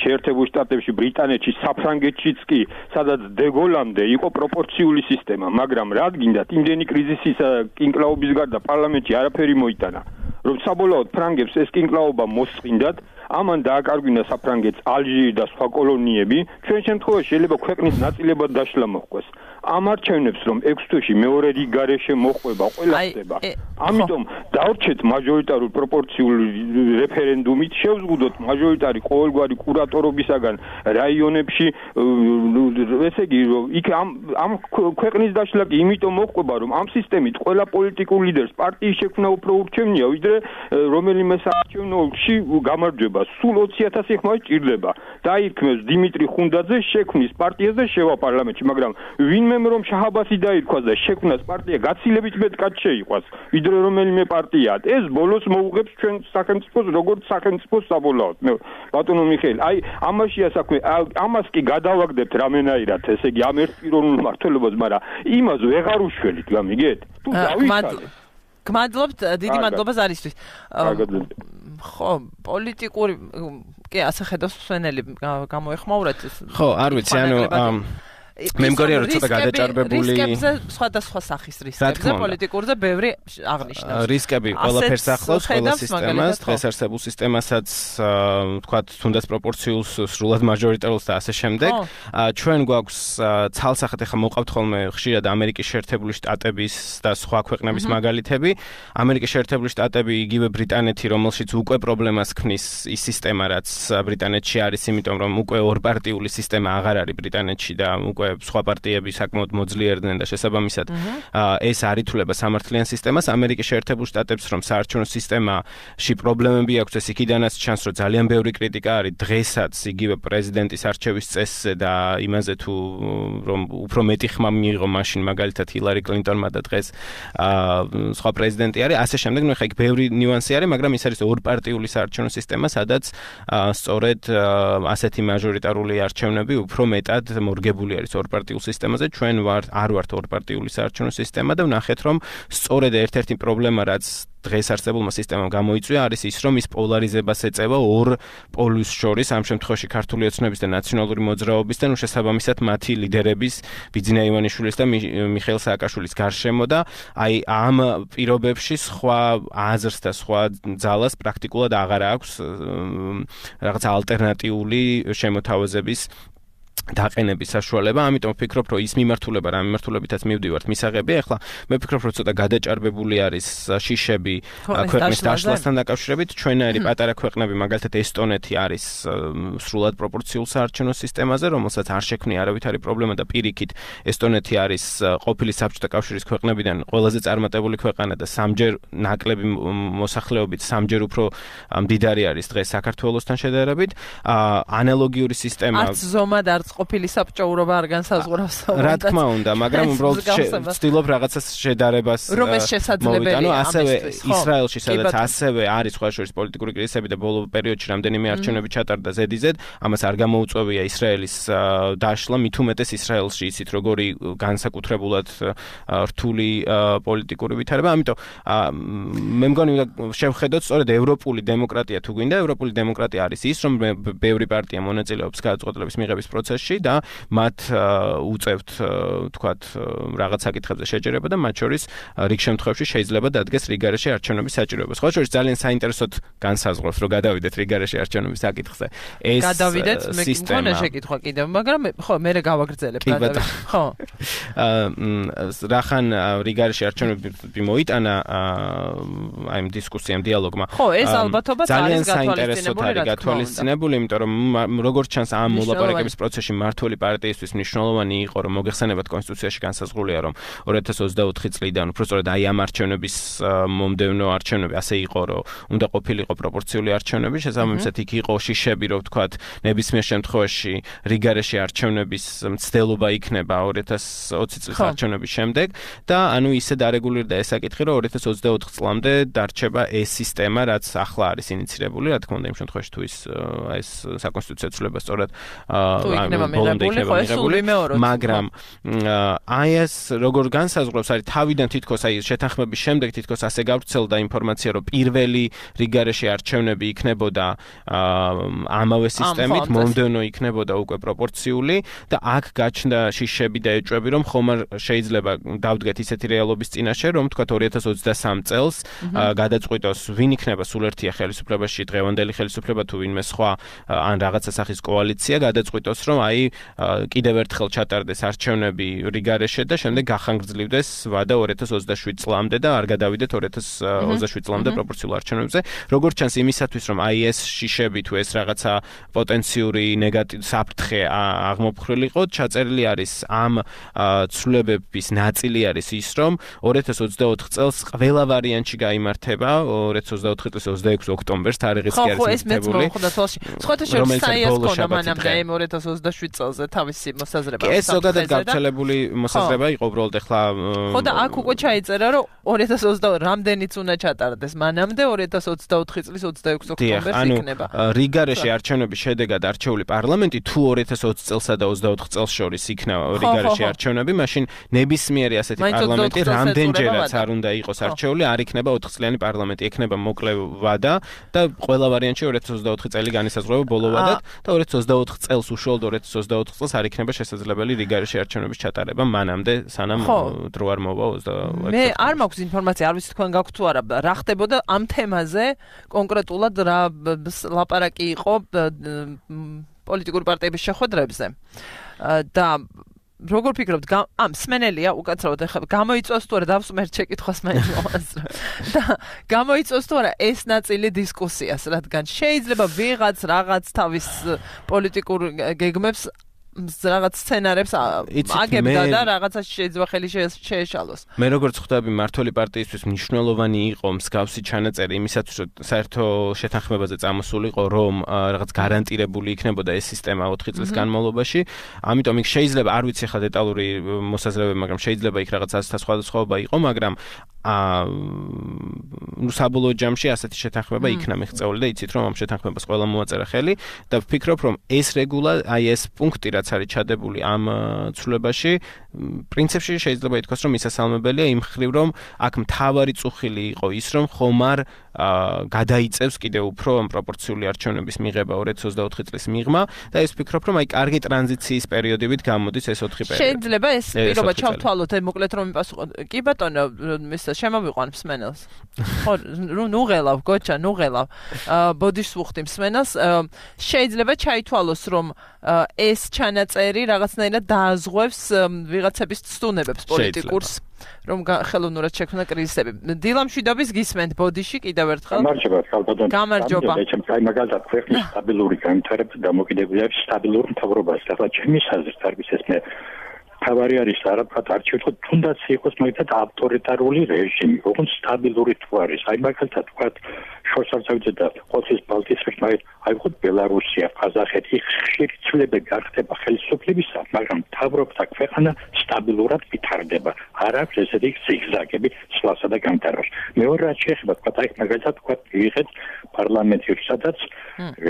S4: შეერთებულ შტატებში, ბრიტანეთში, საფრანგეთშიც კი, სადაც დეგოლამდე იყო პროპორციული სისტემა, მაგრამ რად გინდათ იმდენი კრიზისისა კინკლაობის გარდა პარლამენტში არაფერი მოიტანა. რომ საბოლოოდ ფრანგებს ეს კინკლაობა მოსწინდათ, ამან დააკარგვინა საფრანგეთს ალჟირი და სხვა კოლონიები, ჩვენ შემთხვევაში შეიძლება ქვეყნის ნაწილებად დაშლა მოხდეს. ამ არჩევნებს რომ 6 თვეში მეორე რიგ გარეშე მოხვება, ყველა ხდება. ამიტომ დავრჩეთ მაჟორიტარულ პროპორციული რეფერენდუმით, შევზღუდოთ მაჟორიტარი ყოველგვარი კურატორობისაგან რაიონებში, ესე იგი, იქ ამ ქვეყნის დაშლა კი იმიტომ მოხდება, რომ ამ სისტემით ყველა პოლიტიკურ ლიდერს პარტიის შექმნა უფრო ურჩევნია, ვიდრე რომელიმე საარჩევნოში გამარჯვება. სულ 20,000 ხმა ჭირდება. დაირქმევს დიმიტრი ხუნდაძე შექმნის პარტიას და შევა პარლამენტში, მაგრამ ვინმე რომ შაჰაბასი დაირქვას და შექმნას პარტია გაცილებით მეტად შეიყვას, ვიდრე რომელიმე პარტია. ეს ბოლოს მოუღებს ჩვენ სახელმწიფოს როგორც სახელმწიფოს საბოლოოდ. ბატონო მიხეილ, აი ამაშია საქმე, ამას კი გადავაგდებთ რამენაირად, ესე იგი ამ ერთპიროვნულ მმართველობას, მაგრამ იმას ვეღარ უშველით, გამიგეთ? თუ დავიცალეთ.
S1: გმადლობთ, დიდი მადლობა ზარისთვის. ხო, პოლიტიკური კი ასე ხედავს მსმენელი გამოეხმაურეთ.
S2: ხო, არ ვიცი, ანუ მე მგონია რომ ცოტა გადაჭარბებული
S1: რისკებზე სხვადასხვა სახის რისკებზე პოლიტიკურზე ბევრი აღნიშნავს.
S2: რისკები ყველაფერს ახლავს, ყველა სისტემას, დღეს არსებულ სისტემასაც, თქვათ, თუნდაც პროპორციულს, სრულად მაჟორიტარულს და ასე შემდეგ. ჩვენ გვაქვს ცალსახად ახლა მოყავთ ხოლმე ხშირად ამერიკის შეერთებული შტატების და სხვა ქვეყნების მაგალითები. ამერიკის შეერთებული შტატები, იგივე ბრიტანეთი, რომელშიც უკვე პრობლემას ქმნის ის სისტემა, რაც ბრიტანეთში არის, იმიტომ რომ უკვე ორპარტიული სისტემა აღარ არის ბრიტანეთში და უკვე სხვა პარტიები საკმაოდ მოძლიერდნენ და შესაბამისად ეს არ ითვლება სამართლიან სისტემას. ამერიკის შეერთებულ შტატებს რომ საარჩევნო სისტემაში პრობლემები აქვს, ეს იქიდანაც ჩანს, რომ ძალიან ბევრი კრიტიკა არის დღესაც იგივე პრეზიდენტის არჩევის წესზე და იმაზე თუ რომ უფრო მეტი ხმა მიიღო მაშინ მაგალითად ჰილარი კლინტონმა და დღეს სხვა პრეზიდენტი არის, ასე შემდეგ. ნუ ხა იქ ბევრი ნიუანსი არის, მაგრამ ის არის ორპარტიული საარჩევნო სისტემა, სადაც სწორედ ასეთი მაჟორიტარული არჩევნები უფრო მეტად მორგებული არის ორპარტიულ სისტემაზე. ჩვენ არ ვართ ორპარტიული საარჩევნო სისტემა და ვნახეთ რომ სწორედ ერთ-ერთი პრობლემა რაც დღეს არსებულმა სისტემამ გამოიწვია არის ის რომ ის პოლარიზებას ეწევა ორ პოლუს შორის, ამ შემთხვევაში ქართული ოცნების და ნაციონალური მოძრაობის და შესაბამისად მათი ლიდერების ბიძინა ივანიშვილის და მიხეილ სააკაშვილის გარშემო და აი ამ პირობებში სხვა აზრს და სხვა ძალას პრაქტიკულად აღარ აქვს რაღაც ალტერნატიული შემოთავაზების დაყენების საშუალება, ამიტომ ვფიქრობ, რომ ის მიმართულება, რა მიმართულებითაც მივდივართ მისაღებია, ახლა მე ვფიქრობ, რომ ცოტა გადაჭარბებული არის შიშები ქვეყნის დაშლასთან დაკავშირებით, ჩვენაირი პატარა ქვეყნები, მაგალითად ესტონეთი არის სრულად პროპორციულ საარჩევნო სისტემაზე, რომელსაც არ შექმნია არავითარი პრობლემა და პირიქით ესტონეთი არის ყოფილი საბჭოთა კავშირის ქვეყნებიდან ყველაზე წარმატებული ქვეყანა და სამჯერ ნაკლები მოსახლეობით, სამჯერ უფრო მდიდარი არის დღეს საქართველოსთან შედარებით. ანალოგიური სისტემა
S1: არც ზომად არ არც ყოფილი საბჭოურობა არ განსაზღვრავს.
S2: რა თქმა უნდა, მაგრამ უბრალოდ ვცდილობ რაღაცას შედარებას მოვიტანო, ასევე ისრაელში, სადაც ასევე არის სხვადასხვა პოლიტიკური კრიზისები და ბოლო პერიოდში რამდენიმე არჩევნები ჩატარდა ზედიზედ, ამას არ გამოუწვევია ისრაელის დაშლა, მით უმეტეს ისრაელში იცით როგორი განსაკუთრებულად რთული პოლიტიკური ვითარება, ამიტომ მე მგონი შევხედოთ სწორედ ევროპული დემოკრატია თუ გვინდა, ევროპული დემოკრატია არის ის, რომ ბევრი პარტია მონაწილეობს გადაწყვეტილების მიღების პროცესში და მათ უწევთ თქვათ რაღაც საკითხებზე შეჯერება და მათ შორის რიგ შემთხვევებში შეიძლება დადგეს რიგარეში არჩევნების საჭიროება. სხვა შორის ძალიან საინტერესოდ განსაზღვრავს, რომ გადავიდეთ რიგარეში არჩევნების საკითხზე. ეს
S1: გადავიდეთ, მე მგონია შეკითხვა კიდევ, მაგრამ ხო, მე გავაგრძელებ გადავიდეთ. ხო.
S2: რახან რიგარეში არჩევნები მოიტანა აი ამ დისკუსიამ, დიალოგმა.
S1: ხო, ეს ალბათობაც არის
S2: გათვალისწინებული, იმიტომ რომ როგორც ჩანს ამ მოლაპარაკების პროცესში მმართველი პარტიისთვის მნიშვნელოვანი იყო, რომ მოგეხსენებათ კონსტიტუციაში განსაზღვრულია, რომ 2024 წლიდან უბრალოდ აი ამ არჩევნების მომდევნო არჩევნები ასე იყო, რომ უნდა ყოფილიყო პროპორციული არჩევნები, შესაბამისად იქ იყო შიშები, რომ ვთქვათ, ნებისმიერ შემთხვევაში რიგარეში არჩევნების მცდელობა იქნება 2020 წლის არჩევნების შემდეგ და ანუ ისე დარეგულირდა ეს საკითხი, რომ 2024 წლამდე დარჩება ეს სისტემა, რაც ახლა არის ინიცირებული, რა თქმა უნდა, იმ შემთხვევაში თუ ეს საკონსტიტუციო ცვლილება სწორად
S1: ბოლომდე იქნება მიღებული,
S2: მაგრამ აი ეს როგორ განსაზღვრავს, არის თავიდან თითქოს აი შეთანხმების შემდეგ თითქოს ასე გავრცელდა ინფორმაცია, რომ პირველი რიგარეში არჩევნები იქნებოდა ამავე სისტემით, მომდევნო იქნებოდა უკვე პროპორციული და აქ გაჩნდა შიშები და ეჭვები, რომ ხომ არ შეიძლება დავდგეთ ისეთი რეალობის წინაშე, რომ თქვათ 2023 წელს გადაწყვიტოს ვინ იქნება სულ ერთია ხელისუფლებაში, დღევანდელი ხელისუფლება თუ ვინმე სხვა ან რაღაცა სახის კოალიცია, გადაწყვიტოს რომ აი კიდევ ერთხელ ჩატარდეს არჩევნები რიგარეში და შემდეგ გახანგრძლივდეს ვადა 2027 წლამდე და არ გადავიდეთ 2027 წლამდე პროპორციულ არჩევნებზე. როგორც ჩანს იმისათვის, რომ აი ეს შიშები თუ ეს რაღაცა პოტენციური ნეგატივი საფრთხე აღმოფხრილიყო, ჩაწერილი არის ამ ცვლილებების ნაწილი არის ის, რომ 2024 წელს ყველა ვარიანტში გაიმართება 2024 წლის 26 ოქტომბერს თარიღიც კი არის მითითებული.
S1: სხვათა შორის საიას ქონა მანამდე 2027 წელზე თავისი მოსაზრება.
S2: ეს ზოგადად გავრცელებული მოსაზრება იყო უბრალოდ ახლა
S1: ხო და აქ უკვე ჩაიწერა, რომ 2020 რამდენიც უნდა ჩატარდეს მანამდე 2024 წლის 26 ოქტომბერს იქნება.
S2: რიგარეში არჩევნების შედეგად არჩეული პარლამენტი თუ 2020 წელსა და 24 წელს შორის იქნება რიგარეში არჩევნები, მაშინ ნებისმიერი ასეთი პარლამენტი რამდენჯერაც არ უნდა იყოს არჩეული, არ იქნება 4 წლიანი პარლამენტი, იქნება მოკლე ვადა და ყველა ვარიანტში 2024 წელი განისაზღვრება ბოლო ვადად და 2024 წელს უშუალოდ 2024 წელს არ იქნება შესაძლებელი რიგარეში არჩევნების ჩატარება მანამდე, სანამ დრო არ მოვა 26.
S1: მე არ მაქვს ინფორმაცია, არ ვიცი თქვენ გაქვთ თუ არა, რა ხდებოდა ამ თემაზე კონკრეტულად რა ლაპარაკი იყო პოლიტიკური პარტიების შეხვედრებზე და როგორ ფიქრობთ, სმენელია უკაცრავად ახლა გამოიწვევს თუ არა დავსმერთ შეკითხვას მაინც და გამოიწვევს თუ არა ეს ნაწილი დისკუსიას, რადგან შეიძლება ვიღაც რაღაც თავის პოლიტიკურ გეგმებს რაღაც სცენარებს აგებდა და რაღაცას შეიძლება ხელი შეეშალოს.
S2: მე როგორც ხვდები, მმართველი პარტიისთვის მნიშვნელოვანი იყო მსგავსი ჩანაწერი იმისათვის, რომ საერთო შეთანხმებაზე წამოსულიყო, რომ რაღაც გარანტირებული იქნებოდა ეს სისტემა 4 წლის განმავლობაში. ამიტომ იქ შეიძლება, არ ვიცი ახლა დეტალური მოსაზრებები, მაგრამ შეიძლება იქ რაღაც სხვადასხვაობა იყო, მაგრამ საბოლოო ჯამში ასეთი შეთანხმება იქნა მიღწეული და იცით რომ ამ შეთანხმებას ყველა მოაწერა ხელი და ვფიქრობ რომ ეს რეგულა აი ეს პუნქტი რაც არის ჩადებული ამ ცვლილებაში პრინციპში შეიძლება ითქვას რომ მისასალმებელია იმ ხრივ რომ აქ მთავარი წუხილი იყო ის რომ ხომ არ გადაიწევს კიდევ უფრო ამ პროპორციული არჩევნების მიღება 2024 წლის მიღმა და ეს ვფიქრობ რომ აი კარგი ტრანზიციის პერიოდებით გამოდის ეს 4 პერიოდი.
S1: შეიძლება ეს პირობა ჩავთვალოთ მოკლედ რომ მიპასუხოთ. კი ბატონო შემოვიყვან მსმენელს. ხო, ნუღელავ, გოჩა, ნუღელავ. ბოდიშს ვუხდი მსმენელს. შეიძლება ჩაითვალოს, რომ ეს ჩანაწერი რაღაცნაირად დააზღვევს ვიღაცების ცდუნებებს პოლიტიკურს, რომ ხელოვნურად შექმნა კრიზისები. დილამშვიდობის გისმენთ ბოდიში კიდევ ერთხელ.
S4: გამარჯობა, ხალბატონო.
S1: გამარჯობა.
S4: აი მაგალითად ქვეყნის სტაბილური განვითარება დამოკიდებულია სტაბილურ მთავრობაში. ახლა ჩემი საზრით არის ეს მე
S5: თავარი არის არა ვთქვათ არჩევთ თუნდაც იყოს მაგათ ავტორიტარული რეჟიმი ოღონდ სტაბილური თუ არის აი მაგალითად ვთქვათ შორსარცევიძე და ყოთის ბალტიისპირა აი ხო ბელარუსია ყაზახეთი ხშირი ცვლილებები არ ხდება ხელისუფლებისა მაგრამ მთავრობთა ქვეყანა სტაბილურად ვითარდება არ აქვს ესეთი ზიგზაგები სვლასა და განვითარებას მეორე რაც შეეხება ვთქვათ აი მაგალითად ვთქვათ ვიღეთ პარლამენტში სადაც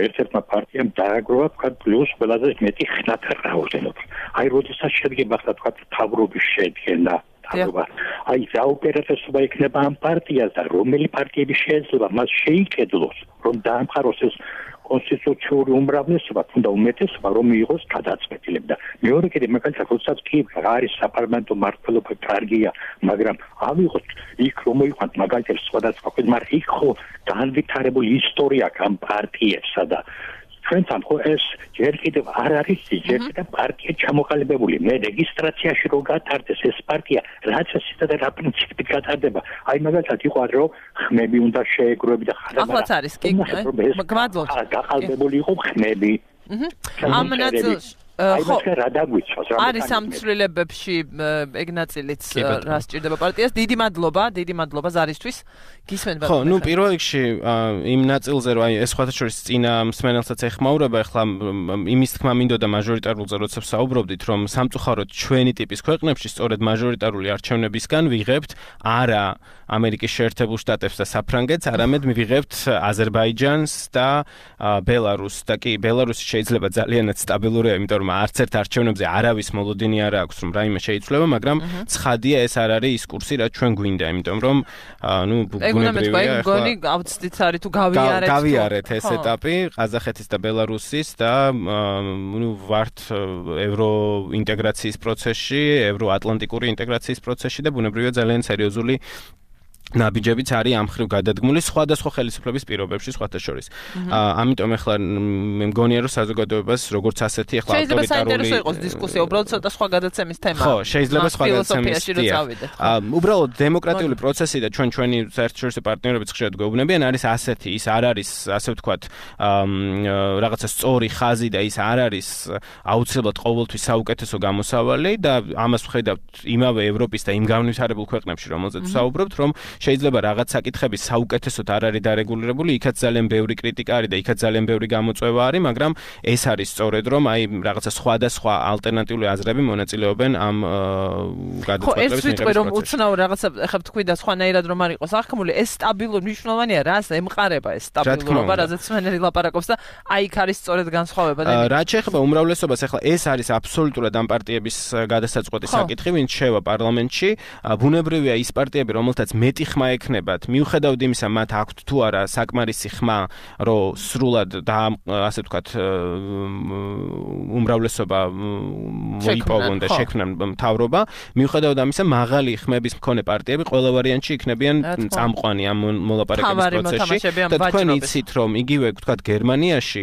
S5: ერთ-ერთმა პარტიამ დააგროვა ვთქვათ პლუს ყველაზე მეტი ხნათა რაოდენობა აი როდესაც შედგება ვთქვათ მთავრობის შედგენა აი საოპერატესობა იქნება ამ პარტიას და რომელი პარტიები შეიძლება მას შეიკედლოს რომ დაამყაროს ეს კონსტიტუციური უმრავლესობა თუნდა უმეტესობა რომ მიიღოს გადაწყვეტილება და მეორე კიდე მაგალითად როდესაც კი არის საპარლამენტო მმართველობა კარგია მაგრამ ავიღოთ იქ რომ მოიყვანთ მაგალითად სხვადასხვა ქვეყნ მაგრამ იქ ხო განვითარებული ისტორია აქვს ამ პარტიებსა და ჩვენთან ხო ეს ჯერ კიდევ არ არის ჯერ კიდევ პარტია ჩამოყალიბებული მე რეგისტრაციაში რო გატარდეს ეს პარტია რაც ესეთა და რა პრინციპით გატარდება აი მაგალითად იყო რომ ხმები უნდა შეეგროები და
S1: ახლაც არის კი გმადლობთ
S5: გაყალბებული იყო ხმები
S1: ამ ნაწილში
S5: ხო რა დაგვიცავს რა
S1: არის ამ ცვლილებებში ეგ ნაწილიც რა სჭირდება პარტიას დიდი მადლობა ზარისთვის გისმენთ
S2: ხო ნუ პირველ რიგში იმ ნაწილზე რომ აი ეს სხვათა შორის წინა მსმენელსაც ეხმაურება ახლა იმის თქმა მინდოდა მაჟორიტარულზე როცა საუბრობდით რომ სამწუხაროდ ჩვენი ტიპის ქვეყნებში სწორედ მაჟორიტარული არჩევნებისგან ვიღებთ არა ამერიკის შეერთებულ შტატებს და საფრანგეთს არამედ მივიღებთ აზერბაიჯანს და ბელარუსს და კი ბელარუსი შეიძლება ძალიანაც სტაბილურია იმიტომ რომ არც ერთ არჩევნებზე არავის მოლოდინი არ აქვს რომ რაიმე შეიცვლება მაგრამ ცხადია ეს არ არის ის კურსი რაც ჩვენ გვინდა იმიტომ რომ ნუ
S1: ბუნებრივია მგონი გავცდით არის თუ
S2: გავიარეთ ეს ეტაპი ყაზახეთის და ბელარუსის და ნუ ვართ ევროინტეგრაციის პროცესში ევროატლანტიკური ინტეგრაციის პროცესში და ბუნებრივია ძალიან სერიოზული ნაბიჯებიც არის ამ ხრივ გადადგმული სხვადასხვა ხელისუფლების პირობებში სხვათა შორის. ამიტომ ახლა მე მგონია რომ საზოგადოებას როგორც ასეთი ახლა
S1: ავტორიტარული შეიძლება საინტერესო იყოს დისკუსია, უბრალოდ ცოტა სხვა გადაცემის თემა.
S2: ხო, შეიძლება სხვა გადაცემის თემა. უბრალოდ დემოკრატიული პროცესი და ჩვენი საერთაშორისო პარტნიორებიც ხშირად გვეუბნებიან არის ასეთი, ის არ არის ასე ვთქვათ რაღაცა სწორი ხაზი და ის არ არის აუცილებლად ყოველთვის საუკეთესო გამოსავალი და ამას ვხედავთ იმავე ევროპის და იმ განვითარებულ ქვეყნებში რომელზეც ვსაუბრობთ რომ შეიძლება რაღაც საკითხები საუკეთესოდ არ არის დარეგულირებული, იქაც ძალიან ბევრი კრიტიკა არის და იქაც ძალიან ბევრი გამოწვევა არის, მაგრამ ეს არის სწორედ რომ აი რაღაცა სხვადასხვა ალტერნატიული აზრები მონაწილეობენ ამ გადაწყვეტილების მიღების პროცესში. ხო, ეს ვიტყვი რომ
S1: უცნაურ რაღაცა ახლა თქვი და სხვანაირად რომ არ იყოს აღქმული, ეს სტაბილური მნიშვნელოვანია, რას ემყარება ეს სტაბილურობა, რაზეც მენერი ლაპარაკობს და აი იქ არის სწორედ განსხვავება და
S2: რაც შეეხება უმრავლესობას, ახლა ეს არის აბსოლუტურად ამ პარტიების გადასაწყვეტი საკითხი, ვინც შევა პარლამენტში, ბუნებრივია ის პარტიები, რომელთაც მეტი ხმა ექნებათ, მიუხედავად იმისა, მათ აქვთ თუ არა საკმარისი ხმა, რომ სრულად და ასე ვთქვათ, უმრავლესობა მოიპოვონ და შექმნან მთავრობა, მიუხედავად ამისა, მაღალი ხმების მქონე პარტიები ყველა ვარიანტში იქნებიან წამყვანი ამ მოლაპარაკების პროცესში და თქვენ იცით, რომ იგივე ვთქვათ გერმანიაში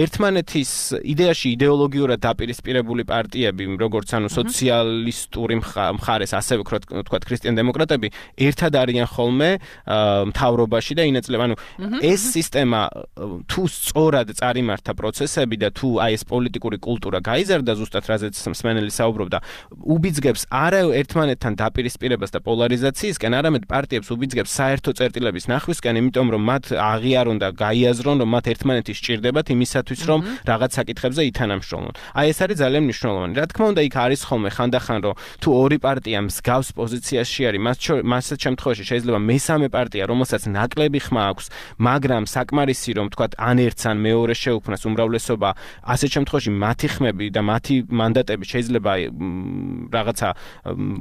S2: ერთმანეთის იდეაში იდეოლოგიურად დაპირისპირებული პარტიები, როგორც ანუ სოციალისტური მხარეს, ასევე ვთქვათ ქრისტიან-დემოკრატები, ერთად არიან ხოლმე მთავრობაში და ინაწილებენ. ანუ ეს სისტემა თუ სწორად წარიმართა პროცესები და თუ აი ეს პოლიტიკური კულტურა გაიზარდა ზუსტად რაზეც მსმენელი საუბრობდა, უბიძგებს არა ერთმანეთთან დაპირისპირებას და პოლარიზაციისკენ, არამედ პარტიებს უბიძგებს საერთო წერტილების ნახვისკენ, იმიტომ რომ მათ აღიარონ და გაიაზრონ, რომ მათ ერთმანეთი სჭირდებათ იმისათვის, რომ რაღაც საკითხებზე ითანამშრომლონ. აი ეს არის ძალიან მნიშვნელოვანი. რა თქმა უნდა, იქ არის ხოლმე ხანდახან, რომ თუ ორი პარტია მსგავს პოზიციაში არის, მასეთ შემთხვევაში შეიძლება მესამე პარტია, რომელსაც ნაკლები ხმა აქვს, მაგრამ საკმარისი რომ თქვათ ან ერთს ან მეორე შეუქმნას უმრავლესობა, ასეთ შემთხვევაში მათი ხმები და მათი მანდატები შეიძლება რაღაცა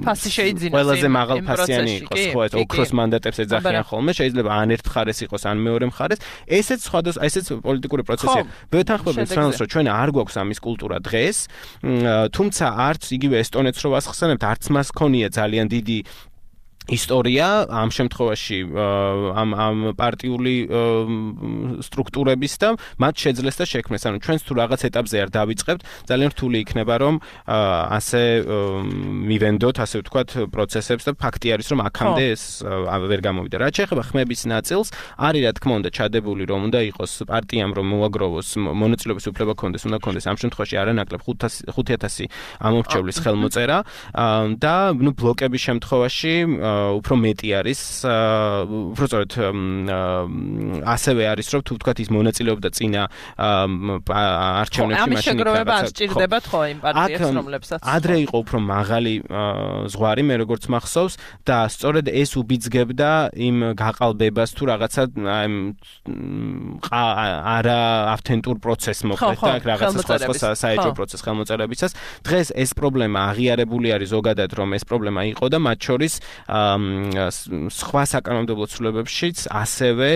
S1: ფასი შეიძინოს.
S2: ყველაზე მაღალ ფასიანი იყოს, ხო, ეს ოქროს მანდატებს ეძახიან ხოლმე, შეიძლება ან ერთ მხარეს იყოს, ან მეორე მხარეს. ესეც სხვადასხვა, ესეც პოლიტიკური პროცესია. ვეთანხმობთ რომ ჩვენ არ გვაქვს ამის კულტურა დღეს, თუმცა არც იგივე ესტონეთს რო ვასხსენებთ, არც მას ქონია ძალიან დიდი ისტორია ამ შემთხვევაში ამ პარტიული სტრუქტურების და მათ შეძლეს და შექმნეს. ანუ ჩვენს თუ რაღაც ეტაპზე არ დავიწყებთ, ძალიან რთული იქნება რომ ასე მივენდოთ, ასე ვთქვათ, პროცესებს და ფაქტი არის რომ აქამდე ეს ვერ გამოვიდა. რაც შეეხება ხმების ნაწილს, არის რა თქმა უნდა ჩადებული რომ უნდა იყოს პარტიამ რომ მოაგროვოს მონაწილეობის უფლება ქონდეს, უნდა ქონდეს ამ შემთხვევაში არანაკლებ 5000 ამომრჩევლის ხელმოწერა და ბლოკების შემთხვევაში უფრო მეტი არის, უფრო სწორედ ასევე არის, რომ თუ ვთქვათ ის მონაწილეობდა წინა არჩევნებში
S1: მაშინ შეგროვება არ სჭირდებათ ხო იმ პარტიებს, რომლებსაც
S2: ადრე იყო უფრო მაღალი ზღვარი, მე როგორც მახსოვს და სწორედ ეს უბიძგებდა იმ გაყალბებას თუ რაღაცა არა ავთენტურ პროცესს მოხდეთ და რაღაცა სხვა საეჭვო პროცესს ხელმოწერებისას. დღეს ეს პრობლემა აღიარებული არის ზოგადად, რომ ეს პრობლემა იყო და მათ შორის სხვა საკანონმდებლო ცვლილებებშიც ასევე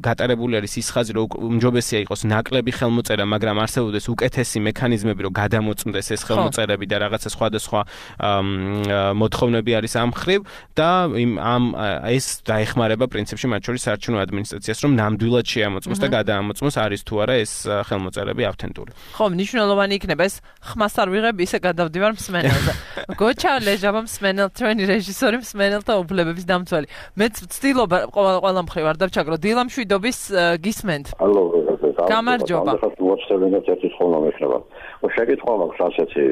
S2: გატარებული არის ის ხაზი, რომ უმჯობესია იყოს ნაკლები ხელმოწერა, მაგრამ არსებობდეს უკეთესი მექანიზმები, რომ გადამოწმდეს ეს ხელმოწერები და რაღაცა სხვადასხვა მოთხოვნები არის ამ ხრივ და ეს დაეხმარება პრინციპში მათ შორის საარჩევნო ადმინისტრაციას, რომ ნამდვილად შეამოწმოს და გადაამოწმოს არის თუ არა ეს ხელმოწერები ავთენტური.
S1: ხო, მნიშვნელოვანი იქნება ეს ხმას არ ვიღებ, ისე გადავდივარ მსმენელზე. გოჩა ლეჟაბა მსმენელ ჩვენი რეჟისორი მსმენელთა უფლებების დამცველი. მეც ვცდილობ ყველა მხრივ არ დავჩაგრო. დილა მშვიდობის გისმენთ.
S5: ალო,
S1: გამარჯობა.
S5: მოწევინოთ ერთი ხოლმე მექნება. შეკითხვა მაქვს ასეთი.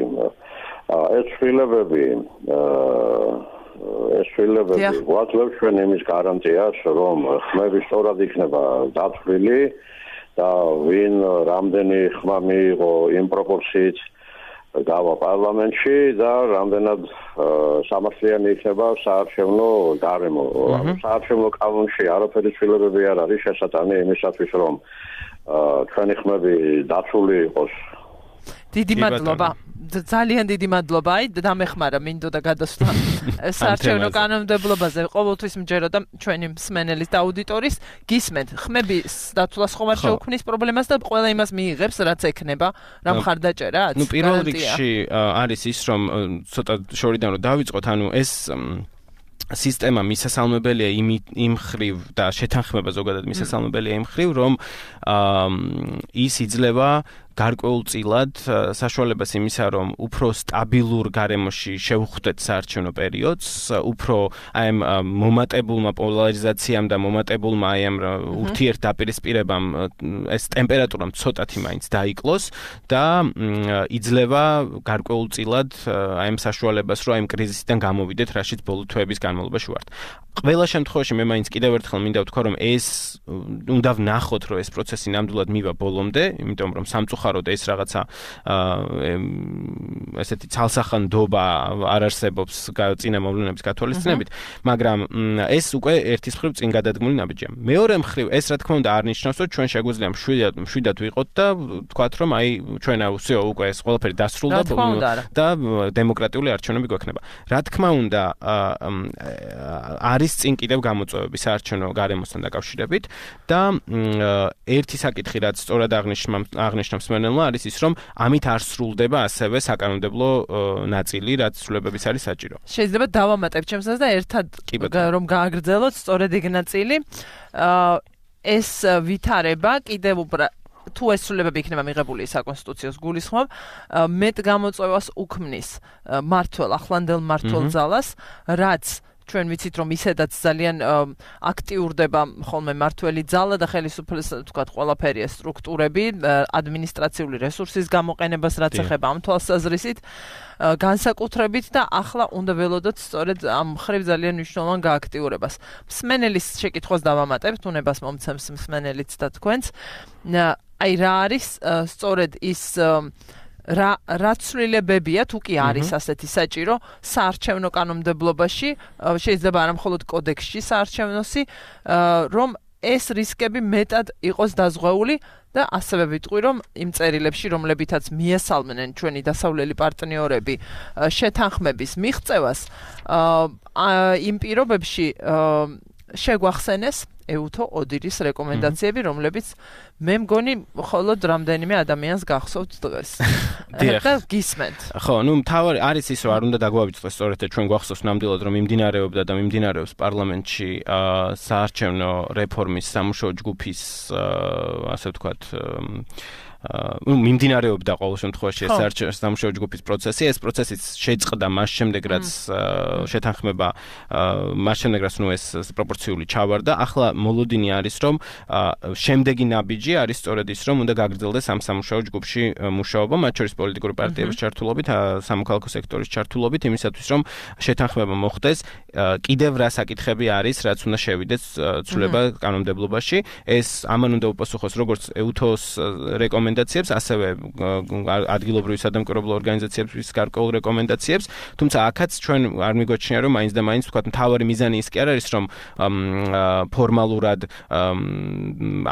S5: ეს შვილებები ვაძლევთ ჩვენ იმის გარანტიას, რომ ხმები სწორად იქნება დათვლილი და ვინ რამდენი ხმა მიიღო იმ პროპორციით გავა პარლამენტში და რამდენად სამართლიანი იქნება საარჩევნო გარემო. საარჩევნო კანონში არაფერი ცვლილებები არ არის შესატანი იმისათვის, რომ ჩვენი ხმები დაცული იყოს.
S1: დიდი მადლობა. ძალიან დიდი მადლობა. აი დამეხმარა მინდოდა გადასვლა საარჩევნო კანონმდებლობაზე. ყოველთვის მჯეროდა ჩვენი მსმენელის და აუდიტორის გისმენთ. ხმების დათვლას ხომ არ შეუქმნის პრობლემას და ყველა იმას მიიღებს, რაც ექნება, რა მხარდაჭერაც.
S2: ნუ პირველ რიგში არის ის, რომ ცოტა შორიდან რომ დავიწყოთ, ანუ ეს სისტემა მისასალმებელია იმ ხრივ და შეთანხმება ზოგადად მისასალმებელია იმ ხრივ, რომ ის იძლევა გარკვეულწილად საშუალებას იმისა, რომ უფრო სტაბილურ გარემოში შევხვდეთ საარჩევნო პერიოდს, უფრო აი ამ მომატებულმა პოლარიზაციამ და მომატებულმა აი ამ ურთიერთდაპირისპირებამ ეს ტემპერატურამ ცოტათი მაინც დაიკლოს და იძლევა გარკვეულწილად აი ამ საშუალებას, რომ აი ამ კრიზისიდან გამოვიდეთ, რაშიც ბოლო თვეების განმავლობაში ვართ. ყველა შემთხვევაში მე მაინც კიდევ ერთხელ მინდა ვთქვა, რომ ეს უნდა ვნახოთ, რომ ეს პროცესი ნამდვილად მივა ბოლომდე, იმიტომ რომ სამწუხაროდ ეს რაღაცა ესეთი ცალსახანდობა არ არსებობს წინა მოვლენების გათვალისწინებით, მაგრამ ეს უკვე ერთის მხრივ წინ გადადგმული ნაბიჯია. მეორე მხრივ ეს რა თქმა უნდა არ ნიშნავს, რომ ჩვენ შეგვიძლია მშვიდად ვიყოთ და ვთქვათ, რომ აი ჩვენ აუსიო უკვე ეს ყველაფერი დასრულდა და დემოკრატიული არჩევნები გვექნება. რა თქმა უნდა არის წინ კიდევ გამოწვევები საარჩევნო გარემოსთან დაკავშირებით და ერთი საკითხი რაც სწორად აღნიშნავს მსმენელმა არის ის რომ ამით არ სრულდება ასევე საკანონმდებლო ნაწილი რაც ცვლილებების არის საჭირო.
S1: შეიძლება დავამატებ ჩემსაც და ერთად რომ გააგრძელოთ სწორედ ეგ ნაწილი ეს ვითარება კიდევ უფრო თუ ეს ცვლილებები იქნება მიღებული საკონსტიტუციოს გულისხმობ მეტ გამოწვევას უქმნის მართველ ახლანდელ მმართველ ძალას რაც ჩვენ ვიცით რომ ისედაც ძალიან აქტიურდება ხოლმე მართველი ძალა და ხელისუფლების თქვათ ყველაფერია სტრუქტურები ადმინისტრაციული რესურსის გამოყენებას რაც ეხება ამ თვალსაზრისით განსაკუთრებით და ახლა უნდა ველოდოთ სწორედ ამ ხრივ ძალიან მნიშვნელოვან გააქტიურებას. მსმენელის შეკითხვას დავამატებთ, უნებას მომცემს მსმენელიც და თქვენც. აი რა არის სწორედ ის რა ცვლილებებია თუ კი არის ასეთი საჭირო საარჩევნო კანონმდებლობაში შეიძლება არა მხოლოდ კოდექსში საარჩევნოსი რომ ეს რისკები მეტად იყოს დაზღვეული და ასევე ვიტყვი რომ იმ წერილებში რომლებითაც მიესალმნენ ჩვენი დასავლელი პარტნიორები შეთანხმების მიღწევას იმ პირობებში შეგვახსენეს ეუთო ოდირის რეკომენდაციები, რომლებიც მე მგონი მხოლოდ რამდენიმე ადამიანს გახსოვთ დღეს. და გისმენთ.
S2: ხო, მთავარი არის ის, რომ არ უნდა დაგვავიწყდეს სწორედ ჩვენ გვახსოვს ნამდვილად, რომ მიმდინარეობდა და მიმდინარეობს პარლამენტში საარჩევნო რეფორმის სამუშაო ჯგუფის ასე ვთქვათ მიმდინარეობდა ყოველ შემთხვევაში ეს სამუშაო ჯგუფის პროცესი. ეს პროცესიც შეწყდა მას შემდეგ, რაც შეთანხმება მას შემდეგ, რაც ეს პროპორციული ჩავარდა. ახლა მოლოდინი არის, რომ შემდეგი ნაბიჯი არის სწორედ ის, რომ უნდა გაგრძელდეს ამ სამუშაო ჯგუფში მუშაობა, მათ შორის პოლიტიკური პარტიების ჩართულობით, სამოქალაქო სექტორის ჩართულობით, იმისათვის, რომ შეთანხმება მოხდეს, კიდევ რა საკითხები არის, რაც უნდა შევიდეს ცვლილება კანონმდებლობაში. ეს ამან უნდა უპასუხოს როგორც ეუთოს რეკომენდაციებს, ასევე ადგილობრივი სადამკვირვებლო ორგანიზაციების გარკვეულ რეკომენდაციებს, თუმცა აქაც ჩვენ არ მიგვაჩნია, რომ მაინც და მაინც ვთქვათ, მთავარი მიზანი ის კი არ არის, რომ ფორმალურად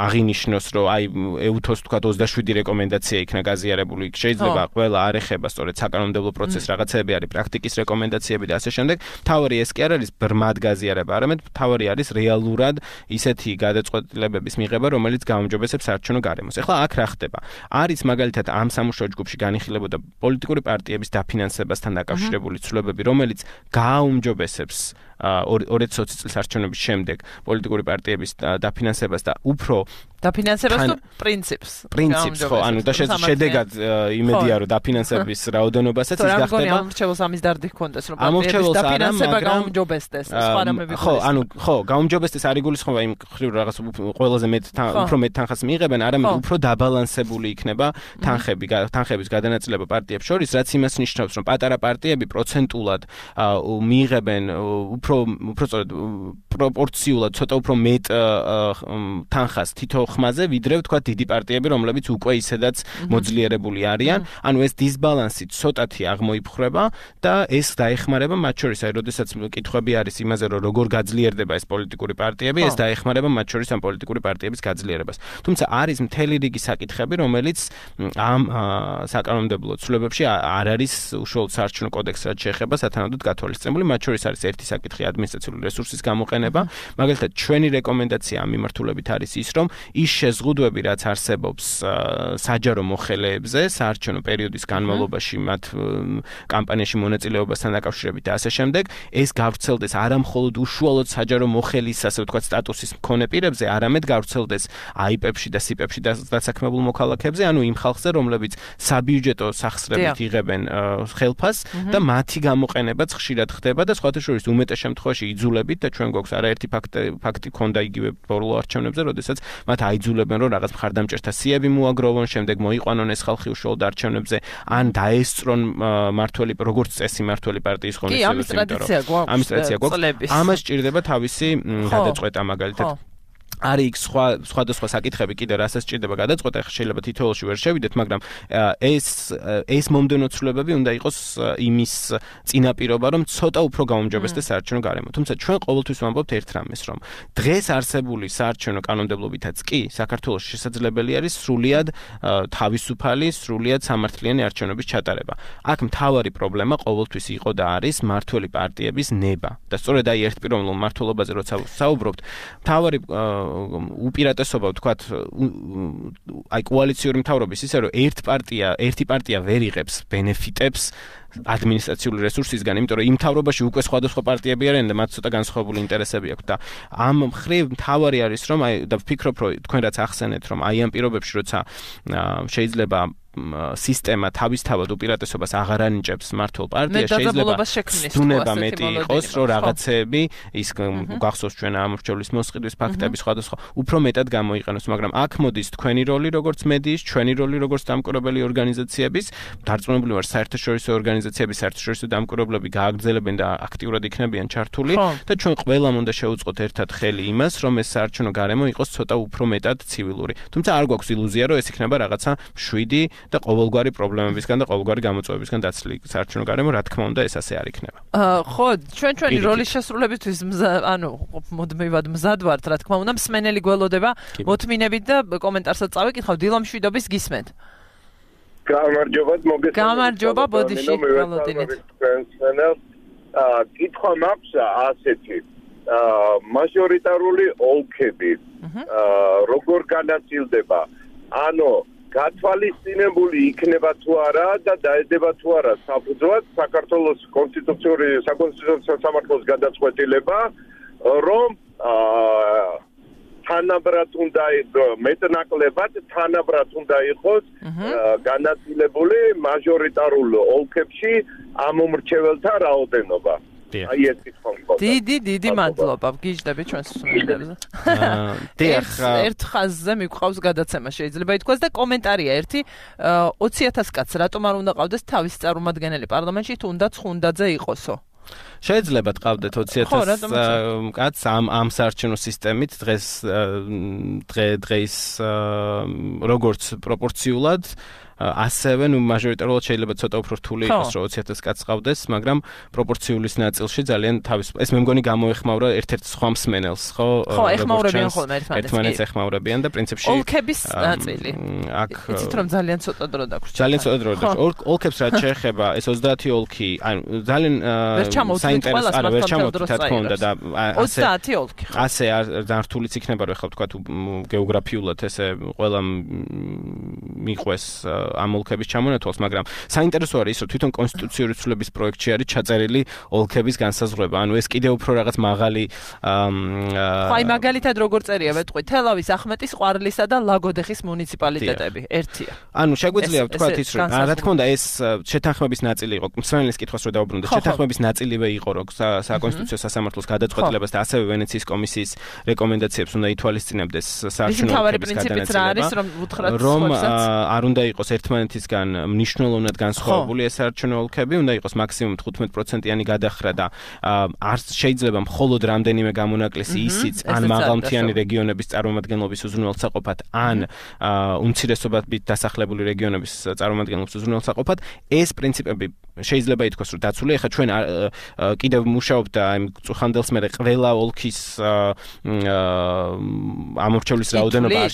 S2: აღინიშნოს, რომ აი ეუთოს ვთქვათ 27 რეკომენდაცია იქნა გაზიარებული. შეიძლება ყველა არ ეხება სწორედ საკანონმდებლო პროცესს, რაღაცები არის პრაქტიკის რეკომენდაციები და ასე შემდეგ. მთავარი ეს კი არ არის ბრმად გაზიარება, არამედ მთავარი არის რეალურად ისეთი გადაწყვეტილებების მიღება, რომელიც გაუმჯობესებს საარჩევნო გარემოს. ეხლა აქ რა ხდება? არის მაგალითად ამ სამუშაო ჯგუფში განიხილებოდა პოლიტიკური პარტიების დაფინანსებასთან დაკავშირებული ცვლილებები, რომელიც გააუმჯობესებს 2020 წლის არჩევნების შემდეგ პოლიტიკური პარტიების დაფინანსებას და უფრო
S1: დაფინანსებას თუ პრინციპს,
S2: ხო, ანუ და შედეგად იმედია, რომ დაფინანსების რაოდენობასაც ის გახდება.
S1: ამორჩეულს ამის დარდი ჰქონდეს, რომ პარტიების დაფინანსება გაუმჯობესდეს, სხვა რამები.
S2: ხო, გაუმჯობესდეს არ იგულისხმება იმ ხრივ რაღაც ყველაზე უფრო მეტ თანხას მიიღებენ, არამედ უფრო დაბალანსებული იქნება თანხების გადანაწილება პარტიებს შორის, რაც იმას ნიშნავს, რომ პატარა პარტიები პროცენტულად მიიღებენ უფრო სწორედ პროპორციულად ცოტა უფრო მეტ თანხას თითო ხმაზე, ვიდრე ვთქვათ დიდი პარტიები, რომლებიც უკვე ისედაც მოძლიერებული არიან. ანუ ეს დისბალანსი ცოტათი აღმოიფხრება და ეს დაეხმარება მათ შორის, აი, როდესაც კითხვები არის იმაზე, რომ როგორ გაძლიერდება ეს პოლიტიკური პარტიები, ეს დაეხმარება მათ შორის ამ პოლიტიკური პარტიების გაძლიერებას. თუმცა არის მთელი რიგი საკითხები, რომელიც ამ საკანონმდებლო ცვლილებებში არ არის უშუალოდ საარჩევნო კოდექსს რაც შეეხება სათანადოდ გათვალისწინებული. მათ შორის არის ერთი საკითხი ადმინისტრაციული რესურსის გამოყენება. მაგალითად, ჩვენი რეკომენდაცია ამ მიმართულებით არის ის, რომ ის შეზღუდვები, რაც არსებობს საჯარო მოხელეებზე საარჩევნო პერიოდის განმავლობაში მათ კამპანიაში მონაწილეობასთან დაკავშირებით და ასე შემდეგ, ეს გავრცელდეს არა მხოლოდ უშუალოდ საჯარო მოხელის, ასე ვთქვათ, სტატუსის მქონე პირებზე, არამედ გავრცელდეს აიპებში და სიპებში დასაქმებულ მოქალაქეებზე, ანუ იმ ხალხზე, რომლებიც საბიუჯეტო სახსრებით იღებენ ხელფასს და მათი გამოყენებაც ხშირად ხდება და სხვათა შორის უმეტეს შემთხვევაში იძულებით და ჩვენ გვაქვს არაერთი ფაქტი ქონდა იგივე ბოლო არჩევნებზე, როდესაც მათ აიძულებენ, რომ რაღაც მხარდამჭერთა სიები მოაგროვონ, შემდეგ მოიყვანონ ეს ხალხი უშუალოდ არჩევნებზე, ან დაესწრონ მართველი, როგორც წესი მართველი პარტიის ღონისძიებებს, ამის ტრადიცია გვაქვს. ამას სჭირდება თავისი გადაწყვეტა მაგალითად. არის იქ სხვადასხვა საკითხები კიდე რასაც სჭირდება გადაწყვეტა, შეიძლება თითოეულში ვერ შევიდეთ, მაგრამ ეს მომდევნო ცვლილებები უნდა იყოს იმის წინაპირობა, რომ ცოტა უფრო გაუმჯობესდეს საარჩევნო გარემო. თუმცა ჩვენ ყოველთვის ვამბობთ ერთ რამეს, რომ დღეს არსებული საარჩევნო კანონმდებლობითაც კი საქართველოში შესაძლებელი არის სრულიად თავისუფალი, სრულიად სამართლიანი არჩევნების ჩატარება. აქ მთავარი პრობლემა ყოველთვის იყო და არის მმართველი პარტიების ნება. და სწორედ აი ერთპიროვნულ მმართველობაზე როცა საუბრობთ, მთავარი უპირატესობა ვთქვათ, აი კოალიციური მთავრობის ისე, რომ ერთი პარტია ვერ იღებს ბენეფიტებს ადმინისტრაციული რესურსისგან, იმიტომ რომ იმ მთავრობაში უკვე სხვადასხვა პარტიები არიან და მათ ცოტა განსხვავებული ინტერესები აქვთ და ამ მხრივ მთავარი არის, რომ აი და ვფიქრობ, რომ თქვენ რაც ახსენეთ, რომ აი ამ პირობებში როცა შეიძლება სისტემა თავისთავად უპირატესობას აღარ ანიჭებს მმართველ პარტიას, შეიძლება დუნება მეტი იყოს, რომ რაღაცეები ის გახსოვს ჩვენ ამორჩევლის მოსყიდვის ფაქტები სხვადასხვა უფრო მეტად გამოიყენოს, მაგრამ აქ მოდის თქვენი როლი როგორც მედიის, ჩვენი როლი როგორც დამკვირვებელი ორგანიზაციების, დარწმუნებული ვარ საერთაშორისო ორგანიზაციების, საერთაშორისო დამკვირვებლები გააგრძელებენ და აქტიურად იქნებიან ჩართული და ჩვენ ყველამ უნდა შევუწყოთ ერთად ხელი იმას, რომ ეს საარჩევნო გარემო იყოს ცოტა უფრო მეტად ცივილური. თუმცა არ გვაქვს ილუზია, რომ ეს იქნება რაღაცა შვიდი და ყოველგვარი პრობლემებისგან და ყოველგვარი გამოწვევებისგან დაცლილი საარჩევნო გარემო, რა თქმა უნდა, ეს ასე არ იქნება.
S1: ხო, ჩვენი როლის შესრულებისთვის ანუ მოდმევად მზად ვართ, რა თქმა უნდა, მსმენელი გველოდება მოთმინებით და კომენტარსაც წავიკითხავ, დილო მშვიდობის გისმენთ. გამარჯობა, ბოდიში, გველოდინით.
S6: კითხვა მაქვს ასეთი.
S3: მაჟორიტარული ოლქები როგორ განაწილდება? ანუ გათვალისწინებული იქნება თუ არა და დაედება თუ არა საფუძვლად საქართველოს საკონსტიტუციურ სამართლოს გადაწყვეტილება, რომ თანაბრად უნდა მეტნაკლებად თანაბრად უნდა იყოს განაწილებული მაჟორიტარულ ოლქებში ამომრჩეველთა რაოდენობა. აი ეს კითხვა.
S1: დიდი მადლობა. გიჟდები ჩვენს მსმენელებზე. ერთ ხაზზე მიყვავს გადაცემა შეიძლება ითქვას და კომენტარია ერთი 20,000 კაცს რატომ არ უნდა ყავდეს თავის წარმომადგენელი პარლამენტში თუნდაც ხუნდაძე იყოსო?
S2: შეიძლება ყავდეთ 20,000 კაცს ამ საარჩევნო სისტემით დღეს როგორც პროპორციულად ასევე მაჟორიტარულად შეიძლება ცოტა უფრო რთული იყოს რომ 20,000 კაცს ყავდეს, მაგრამ პროპორციულის ნაწილში ძალიან ეს მე მგონი გამოეხმაურა ერთ-ერთ სხვა მსმენელს, ხო?
S1: ხო, ეხმაურებიან ხოლმე
S2: ერთმანეთს ეხმაურებიან და პრინციპში
S1: ოლქების ნაწილი. იცით რომ ძალიან ცოტა დრო დაგვრჩა.
S2: ძალიან ცოტა დრო დაგვრჩა. ოლქებს რაც შეეხება, ეს 30 ოლქი, ანუ ძალიან საინტერესო არა ვერ ჩამოვთვით რა თქმა უნდა და
S1: 30 ოლქი.
S2: ასე ძალიან რთულიც იქნება რომ ეხლა ვთქვა თუ გეოგრაფიულად ესე ყველა მიყვეს ამ ოლქების ჩამონათვალს, მაგრამ საინტერესო არის ის, რომ თვითონ კონსტიტუციური ცვლილების პროექტში არის ჩაწერილი ოლქების განსაზღვრება. ანუ ეს კიდევ უფრო რაღაც მაღალი
S1: აი მაგალითად როგორ წერია ვეთყვი, თელავის, ახმეტის, ყვარლისა და ლაგოდეხის მუნიციპალიტეტები. ერთია.
S2: ანუ შეგვიძლია ვთქვათ ის, რომ რა თქმა უნდა ეს შეთანხმების ნაწილი იყო. მსმენელის კითხვას რო დავუბრუნდეთ, შეთანხმების ნაწილივე იყო, რომ საკონსტიტუციო სასამართლოს გადაწყვეტილებას და ასევე ვენეციის კომისიის რეკომენდაციებს უნდა ითვალისწინებდეს საარჩევნო ოლქების გადანაწილება. რომ არ უნდა იყოს ერთმანეთისგან მნიშვნელოვნად განსხვავებული ეს საარჩევნო ოლქები, უნდა იყოს მაქსიმუმ 15%-იანი გადახრა და არ შეიძლება მხოლოდ რამდენიმე გამონაკლისი ისიც ან მაღალმთიანი რეგიონების წარმომადგენლობის უზრუნველსაყოფად, ან უმცირესობებით დასახლებული რეგიონების წარმომადგენლობის უზრუნველსაყოფად, ეს პრინციპები შეიძლება ითქვას, რომ დაცული. ეხლა ჩვენ კიდევ მუშაობთ და იმ წუხანდელს მერე ყველა ოლქის ამორჩევლის რაოდენობა არ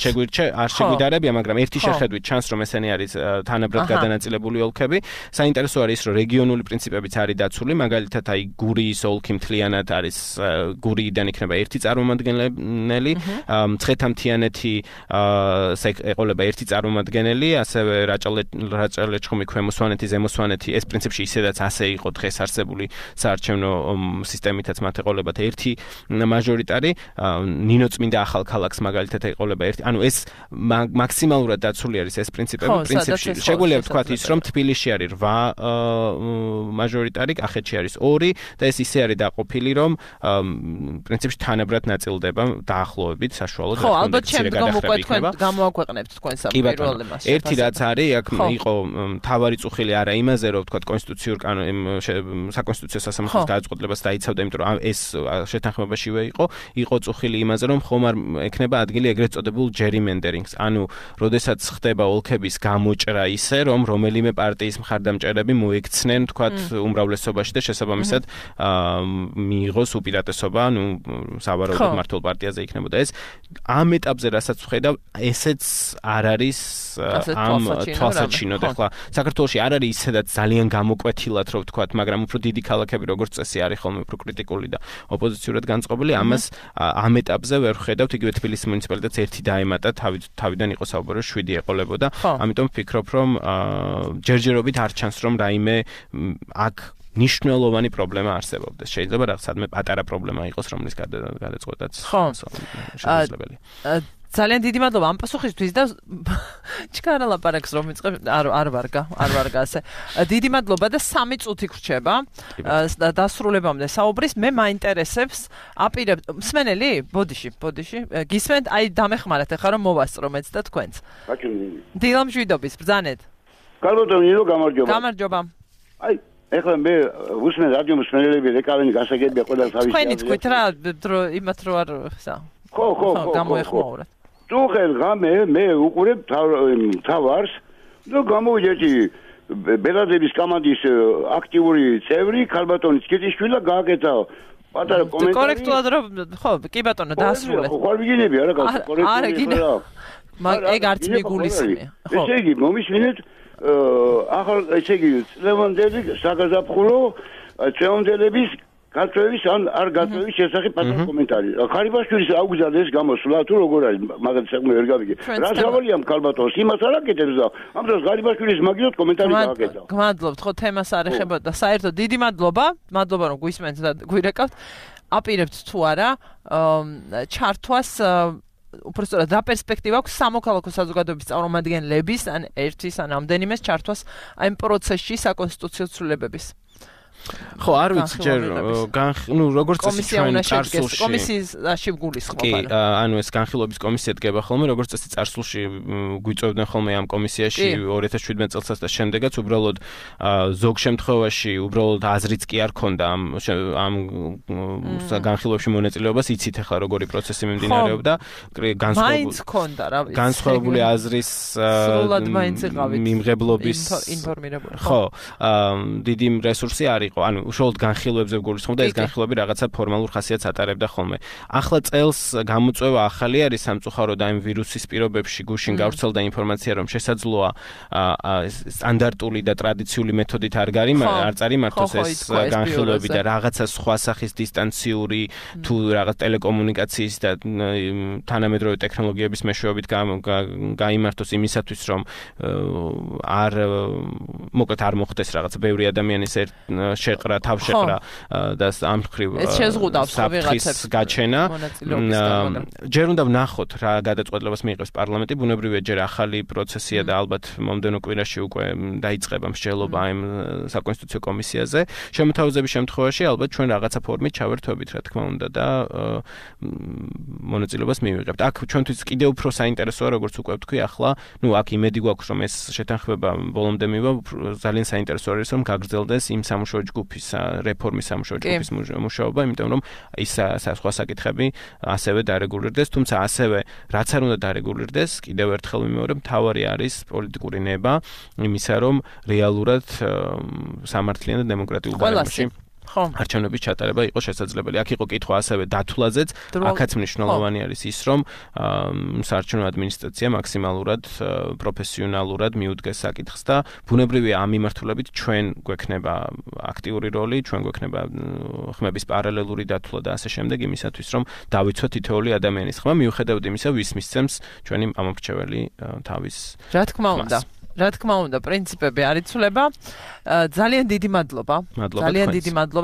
S2: შეგვიდარებია, მაგრამ ერთი შეხედვით ჩანს, რომ ესენი არის თანაბრად გადანაწილებული ოლქები. საინტერესო არის, რომ რეგიონული პრინციპებიც არის დაცული, მაგალითად აი გურიის ოლქი მთლიანად არის გურიიდან იქნება ერთი წარმომადგენელი, მცხეთა-მთიანეთი ეყოლება ერთი წარმომადგენელი, ასევე რაჭა-ლეჩხუმი, ქვემო სვანეთი, ზემო სვანეთი, ეს პრინციპში ისედაც ასე იყო დღეს არსებული საარჩევნო სისტემითაც მათ ეყოლებათ ერთი მაჟორიტარი, ნინოწმინდა ახალქალაქს მაგალითად ეყოლება ერთი. ანუ ეს მაქსიმალურად დაცული არის ეს პრინციპები. პრინციპში შეგვიძლია ვთქვათ ის, რომ თბილისში არის 8 მაჟორიტარი, კახეთში არის 2 და ეს ისე არის დაყოფილი, რომ პრინციპში თანაბრად ნაწილდება დაახლოებით საშუალოდ.
S1: ხო, ალბათ შემდგომ უკვე თქვენ გამოაქვეყნებთ თქვენ პირველ იმას.
S2: ერთი რაც არის, აქ იყო თავარი წუხილი არა იმაზე, რომ ვთქვათ საკონსტიტუციო სასამართლოს გადაწყვეტილებას დაიცავდა, იმიტომ რომ ეს შეთანხმებაშივე იყო წუხილი იმაზე, რომ ხომ არ ექნება ადგილი ეგრეთ წოდებულ gerrymanderings, ანუ როდესაც ხდება ოლქების გამოჭრა ისე, რომ რომელიმე პარტიის მხარდამჭერები მოიქცნენ, თქვათ, უმრავლესობაში და შესაბამისად მიიღოს უპირატესობა, ანუ სავარაუდოდ მართლ პარტიაზე იქნებოდა ეს. ამ ეტაპზე რასაც ვხედავ, ესეც არ არის ამ თვალსაჩინოდ. ახლა საქართველოში არ არის ისედაც ძალიან გამოკვეთილად, რომ ვთქვათ, მაგრამ უფრო დიდი ქალაქები როგორც წესი არის ხოლმე უფრო კრიტიკული და ოპოზიციურად განწყობილი. ამას ამ ეტაპზე ვერ ვხედავთ, იგივე თბილისის მუნიციპალიტეტს ერთი დაემატა, თავიდან იყო საუბარი 7 ეყოლებოდა. ამიტომ ვფიქრობ, რომ ჯერჯერობით არ ჩანს, რომ რაიმე აქ ნიშნულოვანი პრობლემა არსებობდეს. შეიძლება რაღაცადმე პატარა პრობლემა იყოს, რომლის გადაწყვეტაც შესაძლებელია.
S1: ძალიან დიდი მადლობა ამ პასუხისთვის და ჩქარა ლაპარაკს რომ ვიწყებ არ ვარგა ასე. დიდი მადლობა და 3 წუთი გრჩება დასრულებამდე საუბრის. მე მაინტერესებს აპირებ მსმენელი ბოდიში გისმენთ, აი დამეხმარეთ ახლა რომ მოვასწრო მეც და თქვენც. დილამშვიდობის ბრძანეთ.
S6: კარგოდან ნინო გამარჯობა.
S1: გამარჯობა.
S6: აი ეხლა მე უსმენ რადიო მსმენელები რეკავენი გასაგებია ყველა თავის.
S1: თქვენი თქვით რა იმათ რო არ სა.
S6: ხო.
S1: გამოეხმაურეთ.
S6: თუხელ ღამე მე უყურებ თავარს და გამოვიჯეჭი ბელადების კომანდის აქტიური წევრი ქალბატონის კიტიშვილა გააკეთა პატარა კომენტარი.
S1: კორექტულად რომ ხო კი ბატონო დაასრულეთ.
S6: ხო ვიგინები არა კორექტულად.
S1: არა გინე. ეგ არც მიგულისხმია.
S6: ხო. ესე იგი მომისმინეთ ახალ ესე იგი ლევანდელი საგაზაფხულო წევანდელების გაწევის ან არ გაწევის შესახებ პატარა კომენტარი. ხარიბაშვილის აუგზავნის გამოსვლა თუ როგორ არის მაგათ საქმე ვერ გავიგე. რა სავალია ქალბატონს იმას არ აკეთებს და ამ დროს ხარიბაშვილის მაგიოთ კომენტარი გააკეთა.
S1: გმადლობთ ხო თემას არ ეხებოდა. საერთოდ დიდი მადლობა რომ გვისმენთ და გვირეკავთ. აპირებთ თუ არა ჩართვას უბრალოდ რა პერსპექტივა აქვს სამოქალაქო საზოგადოების წარმომადგენლების ან ერთის ან ამდენიმეს ჩართვას აი ამ პროცესში საკონსტიტუციო ცვლილებების.
S2: ხო, არ ვიცი ჯერ როგორც წესი ჩვენ წარსულში
S1: კომისიაში გულისხმობ
S2: არა. კი, ანუ ეს განხილვების კომისია დგება ხოლმე, როგორც წესი წარსულში გვიწევდნენ ხოლმე ამ კომისიაში 2017 წელსაც და შემდეგაც უბრალოდ ზოგ შემთხვევაში უბრალოდ აზრიც კი არ ქონდა ამ განხილვებში მონაწილეობას, იცით ახლა როგორი პროცესი მიმდინარეობდა, განსხვავებული აზრის მიმღებლობის
S1: ინფორმირებული.
S2: ხო, დიდი რესურსი არ იყო, ანუ უშუალოდ განხილვებზე გულისხმობდა და ეს განხილვები რაღაცა ფორმალურ ხასიათს ატარებდა ხოლმე. ახლა წელს გამოწვევა ახალი არის სამწუხაროდ აი ვირუსის პირობებში გუშინ გავრცელდა ინფორმაცია, რომ შესაძლოა სტანდარტული და ტრადიციული მეთოდით არ წარიმართოს ეს განხილვები და რაღაცა სხვა სახის დისტანციური თუ რაღაც ტელეკომუნიკაციის და თანამედროვე ტექნოლოგიების მეშვეობით გაიმართოს იმისათვის, რომ მოკლედ არ მოხდეს რაღაცა ბევრი ადამიანის შეყრა, თავშეყრა და ამ მხრივ საფრთხის გაჩენა. ჯერ უნდა ვნახოთ რა გადაწყვეტილებას მიიღებს პარლამენტი, ბუნებრივია ჯერ ახალი პროცესია და ალბათ მომდენო კვირაში უკვე დაიწყება მსჯელობა ამ საკონსტიტუციო კომისიაზე. შემოთავაზების შემთხვევაში ალბათ ჩვენ რაღაცა ფორმით ჩავერთვებით, რა თქმა უნდა და მონაწილეობას მივიღებთ. აქ ჩვენთვის კიდევ უფრო საინტერესოა, როგორც უკვე ვთქვი, ახლა, აქ იმედი გვაქვს, რომ ეს შეთანხმება ბოლომდე მივა, ძალიან საინტერესო არის, რომ გაგრძელდეს იმ სამუშაო ჯგუფის რეფორმის სამუშაო ჯგუფის მუშაობა, იმიტომ რომ ის სხვა საკითხები ასევე დარეგულირდეს, თუმცა ასევე რაც არ უნდა დარეგულირდეს, კიდევ ერთხელ ვიმეორებ, მთავარი არის პოლიტიკური ნება იმისა, რომ რეალურად სამართლიან და დემოკრატიულ გარემოში არჩევნების ჩატარება იყო შესაძლებელი. აქ იყო კითხვა ასევე დათვლაზეც, აქაც მნიშვნელოვანი არის ის, რომ საარჩევნო ადმინისტრაცია მაქსიმალურად პროფესიონალურად მიუდგეს საკითხს და ბუნებრივია ამ მიმართულებით ჩვენ გვექნება აქტიური როლი, ჩვენ გვექნება ხმების პარალელური დათვლა და ასე შემდეგ იმისათვის, რომ დავიცვათ თითოეული ადამიანის ხმა, მიუხედავად იმისა, ვის მისცემს ჩვენი ამორჩეველი თავის.
S1: რა თქმა უნდა, პრინციპები არ იცვლება. ძალიან დიდი მადლობა.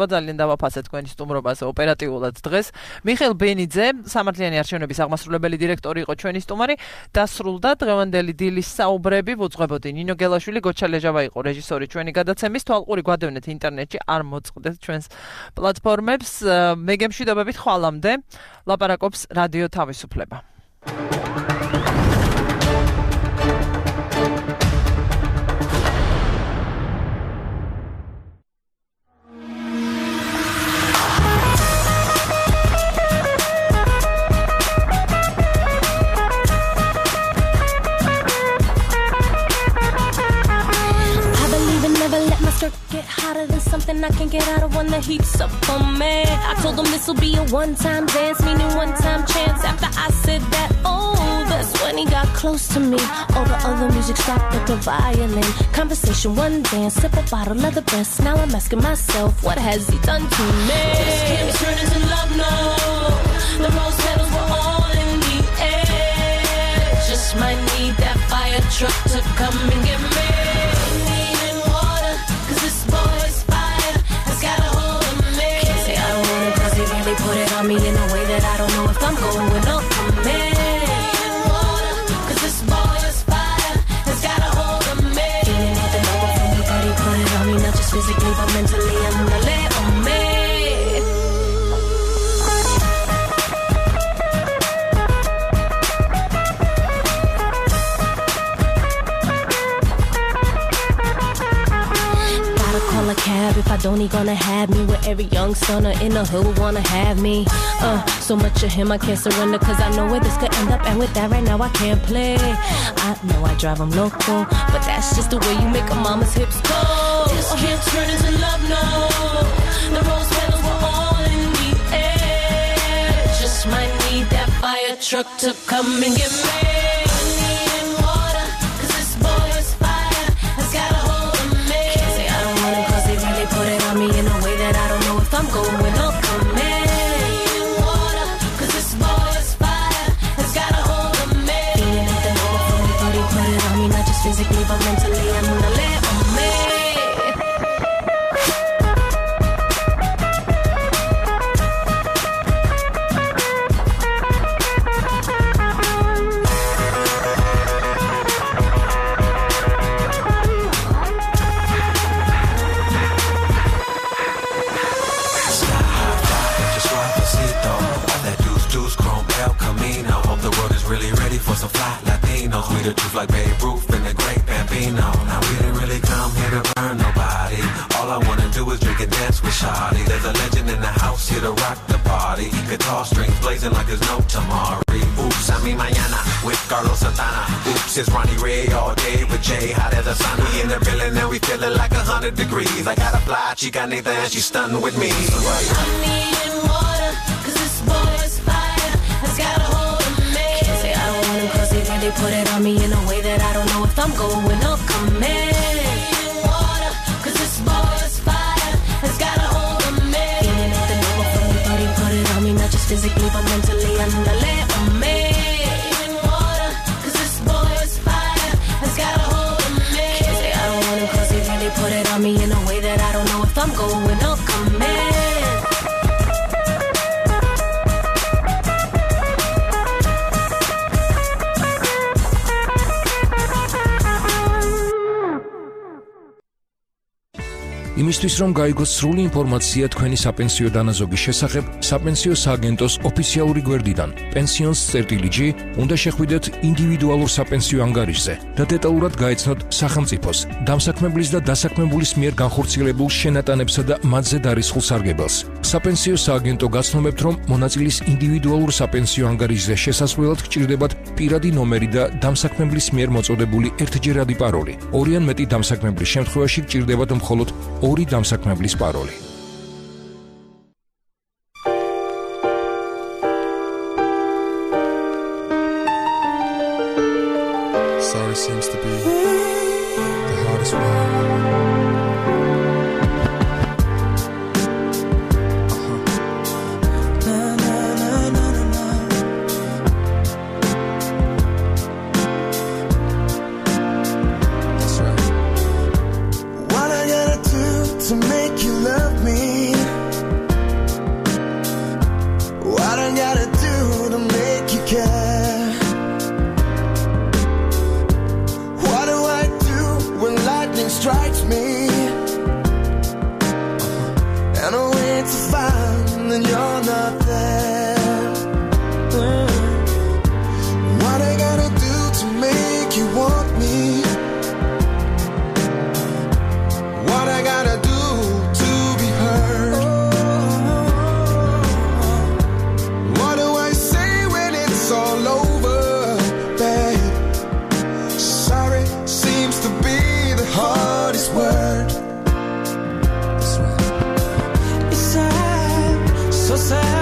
S1: ძალიან დავაფასე თქვენი სტუმრობაზე ოპერატიულად დღეს. მიხეილ ბენიძე, სამართლიანი არჩევნების აღმასრულებელი დირექტორი იყო ჩვენი სტუმარი. დასრულდა დღევანდელი დილის საუბრები, ვუძღვებოდი ნინო გელაშვილი, გოჩა ლეჟავა იყო რეჟისორი ჩვენი გადაცემის. თვალყური გვადევნეთ ინტერნეტში, არ მოწყდეთ ჩვენს პლატფორმებს. მე გემშვიდობებით ხვალამდე. ლაპარაკობს რადიო თავისუფლება.
S7: Get hotter than something I can get out of when the heat's up on me. I told them this'll be a one-time dance, meaning one-time chance. After I said that, that's when he got close to me. All the other music stopped at the violin. Conversation, one dance, sip a bottle of the best. Now I'm asking myself, what has he done to me? This can't turn into love, no. The rose petals were all in the air. Just might need that fire truck to come and get me. This boy's fire has got a hold of me. Can't say I don't want it 'cause he really put it on me in a way that I don't know if I'm going up for me. 'Cause this boy's fire has got a hold of me. Feeling nothing over from me, but he put it on me, not just physically but mentally. I'm gonna let on me. A cab if I don't, he gonna have me with every young sonner in the hood wanna have me. So much of him I can't surrender 'cause I know where this could end up, and with that right now I can't play. I know I drive him loco, but that's just the way you make a mama's hips go. This can't turn into love, no. The rose petals were all in the air. Just might need that fire truck to come and get me. Put it on me in a way that I don't know if I'm going on.
S8: Despacito, all that deuce, chrome El Camino. Hope the world is really ready for some fly Latinos. We the truth like Babe Ruth and the great Bambino. Now we didn't really come here to burn nobody. All I wanna do is drink and dance with Shawty. There's a legend in the house here to rock the party. Guitar strings blazing like there's no tomorrow. Oops, I mean mañana with Carlos Santana. Oops, it's Ronnie Ray all day with Jay. Hot as a sun. We in the building and we feeling like 100 degrees. I got a fly chicanita and she's stunned with me. So
S7: I need water, cause this boy is fire. Has got a hold of me. Can't say I don't want him cause they really put it on me in a way that I don't know if I'm going or coming. Water, cause this boy is fire. Has got a hold of me. Feeling at the number from me, thought he put it on me, not just physically but mentally and the lay on me. Water, cause this boy is fire. Has got a hold of me. Can't say I don't want him cause they really put it on me in a way that I don't know if I'm going or coming.
S9: იმისთვის რომ გაიგოს სრული ინფორმაცია თქვენი საპენსიო დანაზოგის შესახებ, საპენსიო სააგენტოს ოფიციალური გვერდიდან pensions.gr უნდა შეხვიდეთ ინდივიდუალურ საპენსიო ანგარიშზე და დეტალურად გაეცნოთ სახელმწიფოს, დამსაქმებლის და დასაქმებულის მიერ განხორციელებულ შენატანებსა და მათზე დარისხულ სარგებელს. საპენსიო სააგენტო გაცნობებთ, რომ მონაწილის ინდივიდუალურ საპენსიო ანგარიშზე შესასვლელად გჭირდებათ პირადი ნომერი და დამსაქმებლის მიერ მოწოდებული ერთჯერადი პაროლი. ორი ან მეტი დამსაქმებლის შემთხვევაში გჭირდებათ მხოლოდ ორი დამსაქმებლის პაროლი.
S10: Sorry seems to be the hardest word.
S11: To make you love me, what I gotta do to make you care? What do I do when lightning strikes me? And I wait to find that you're not there. What I gotta do to make you want me? What I gotta do?
S7: Word. It's sad, so sad.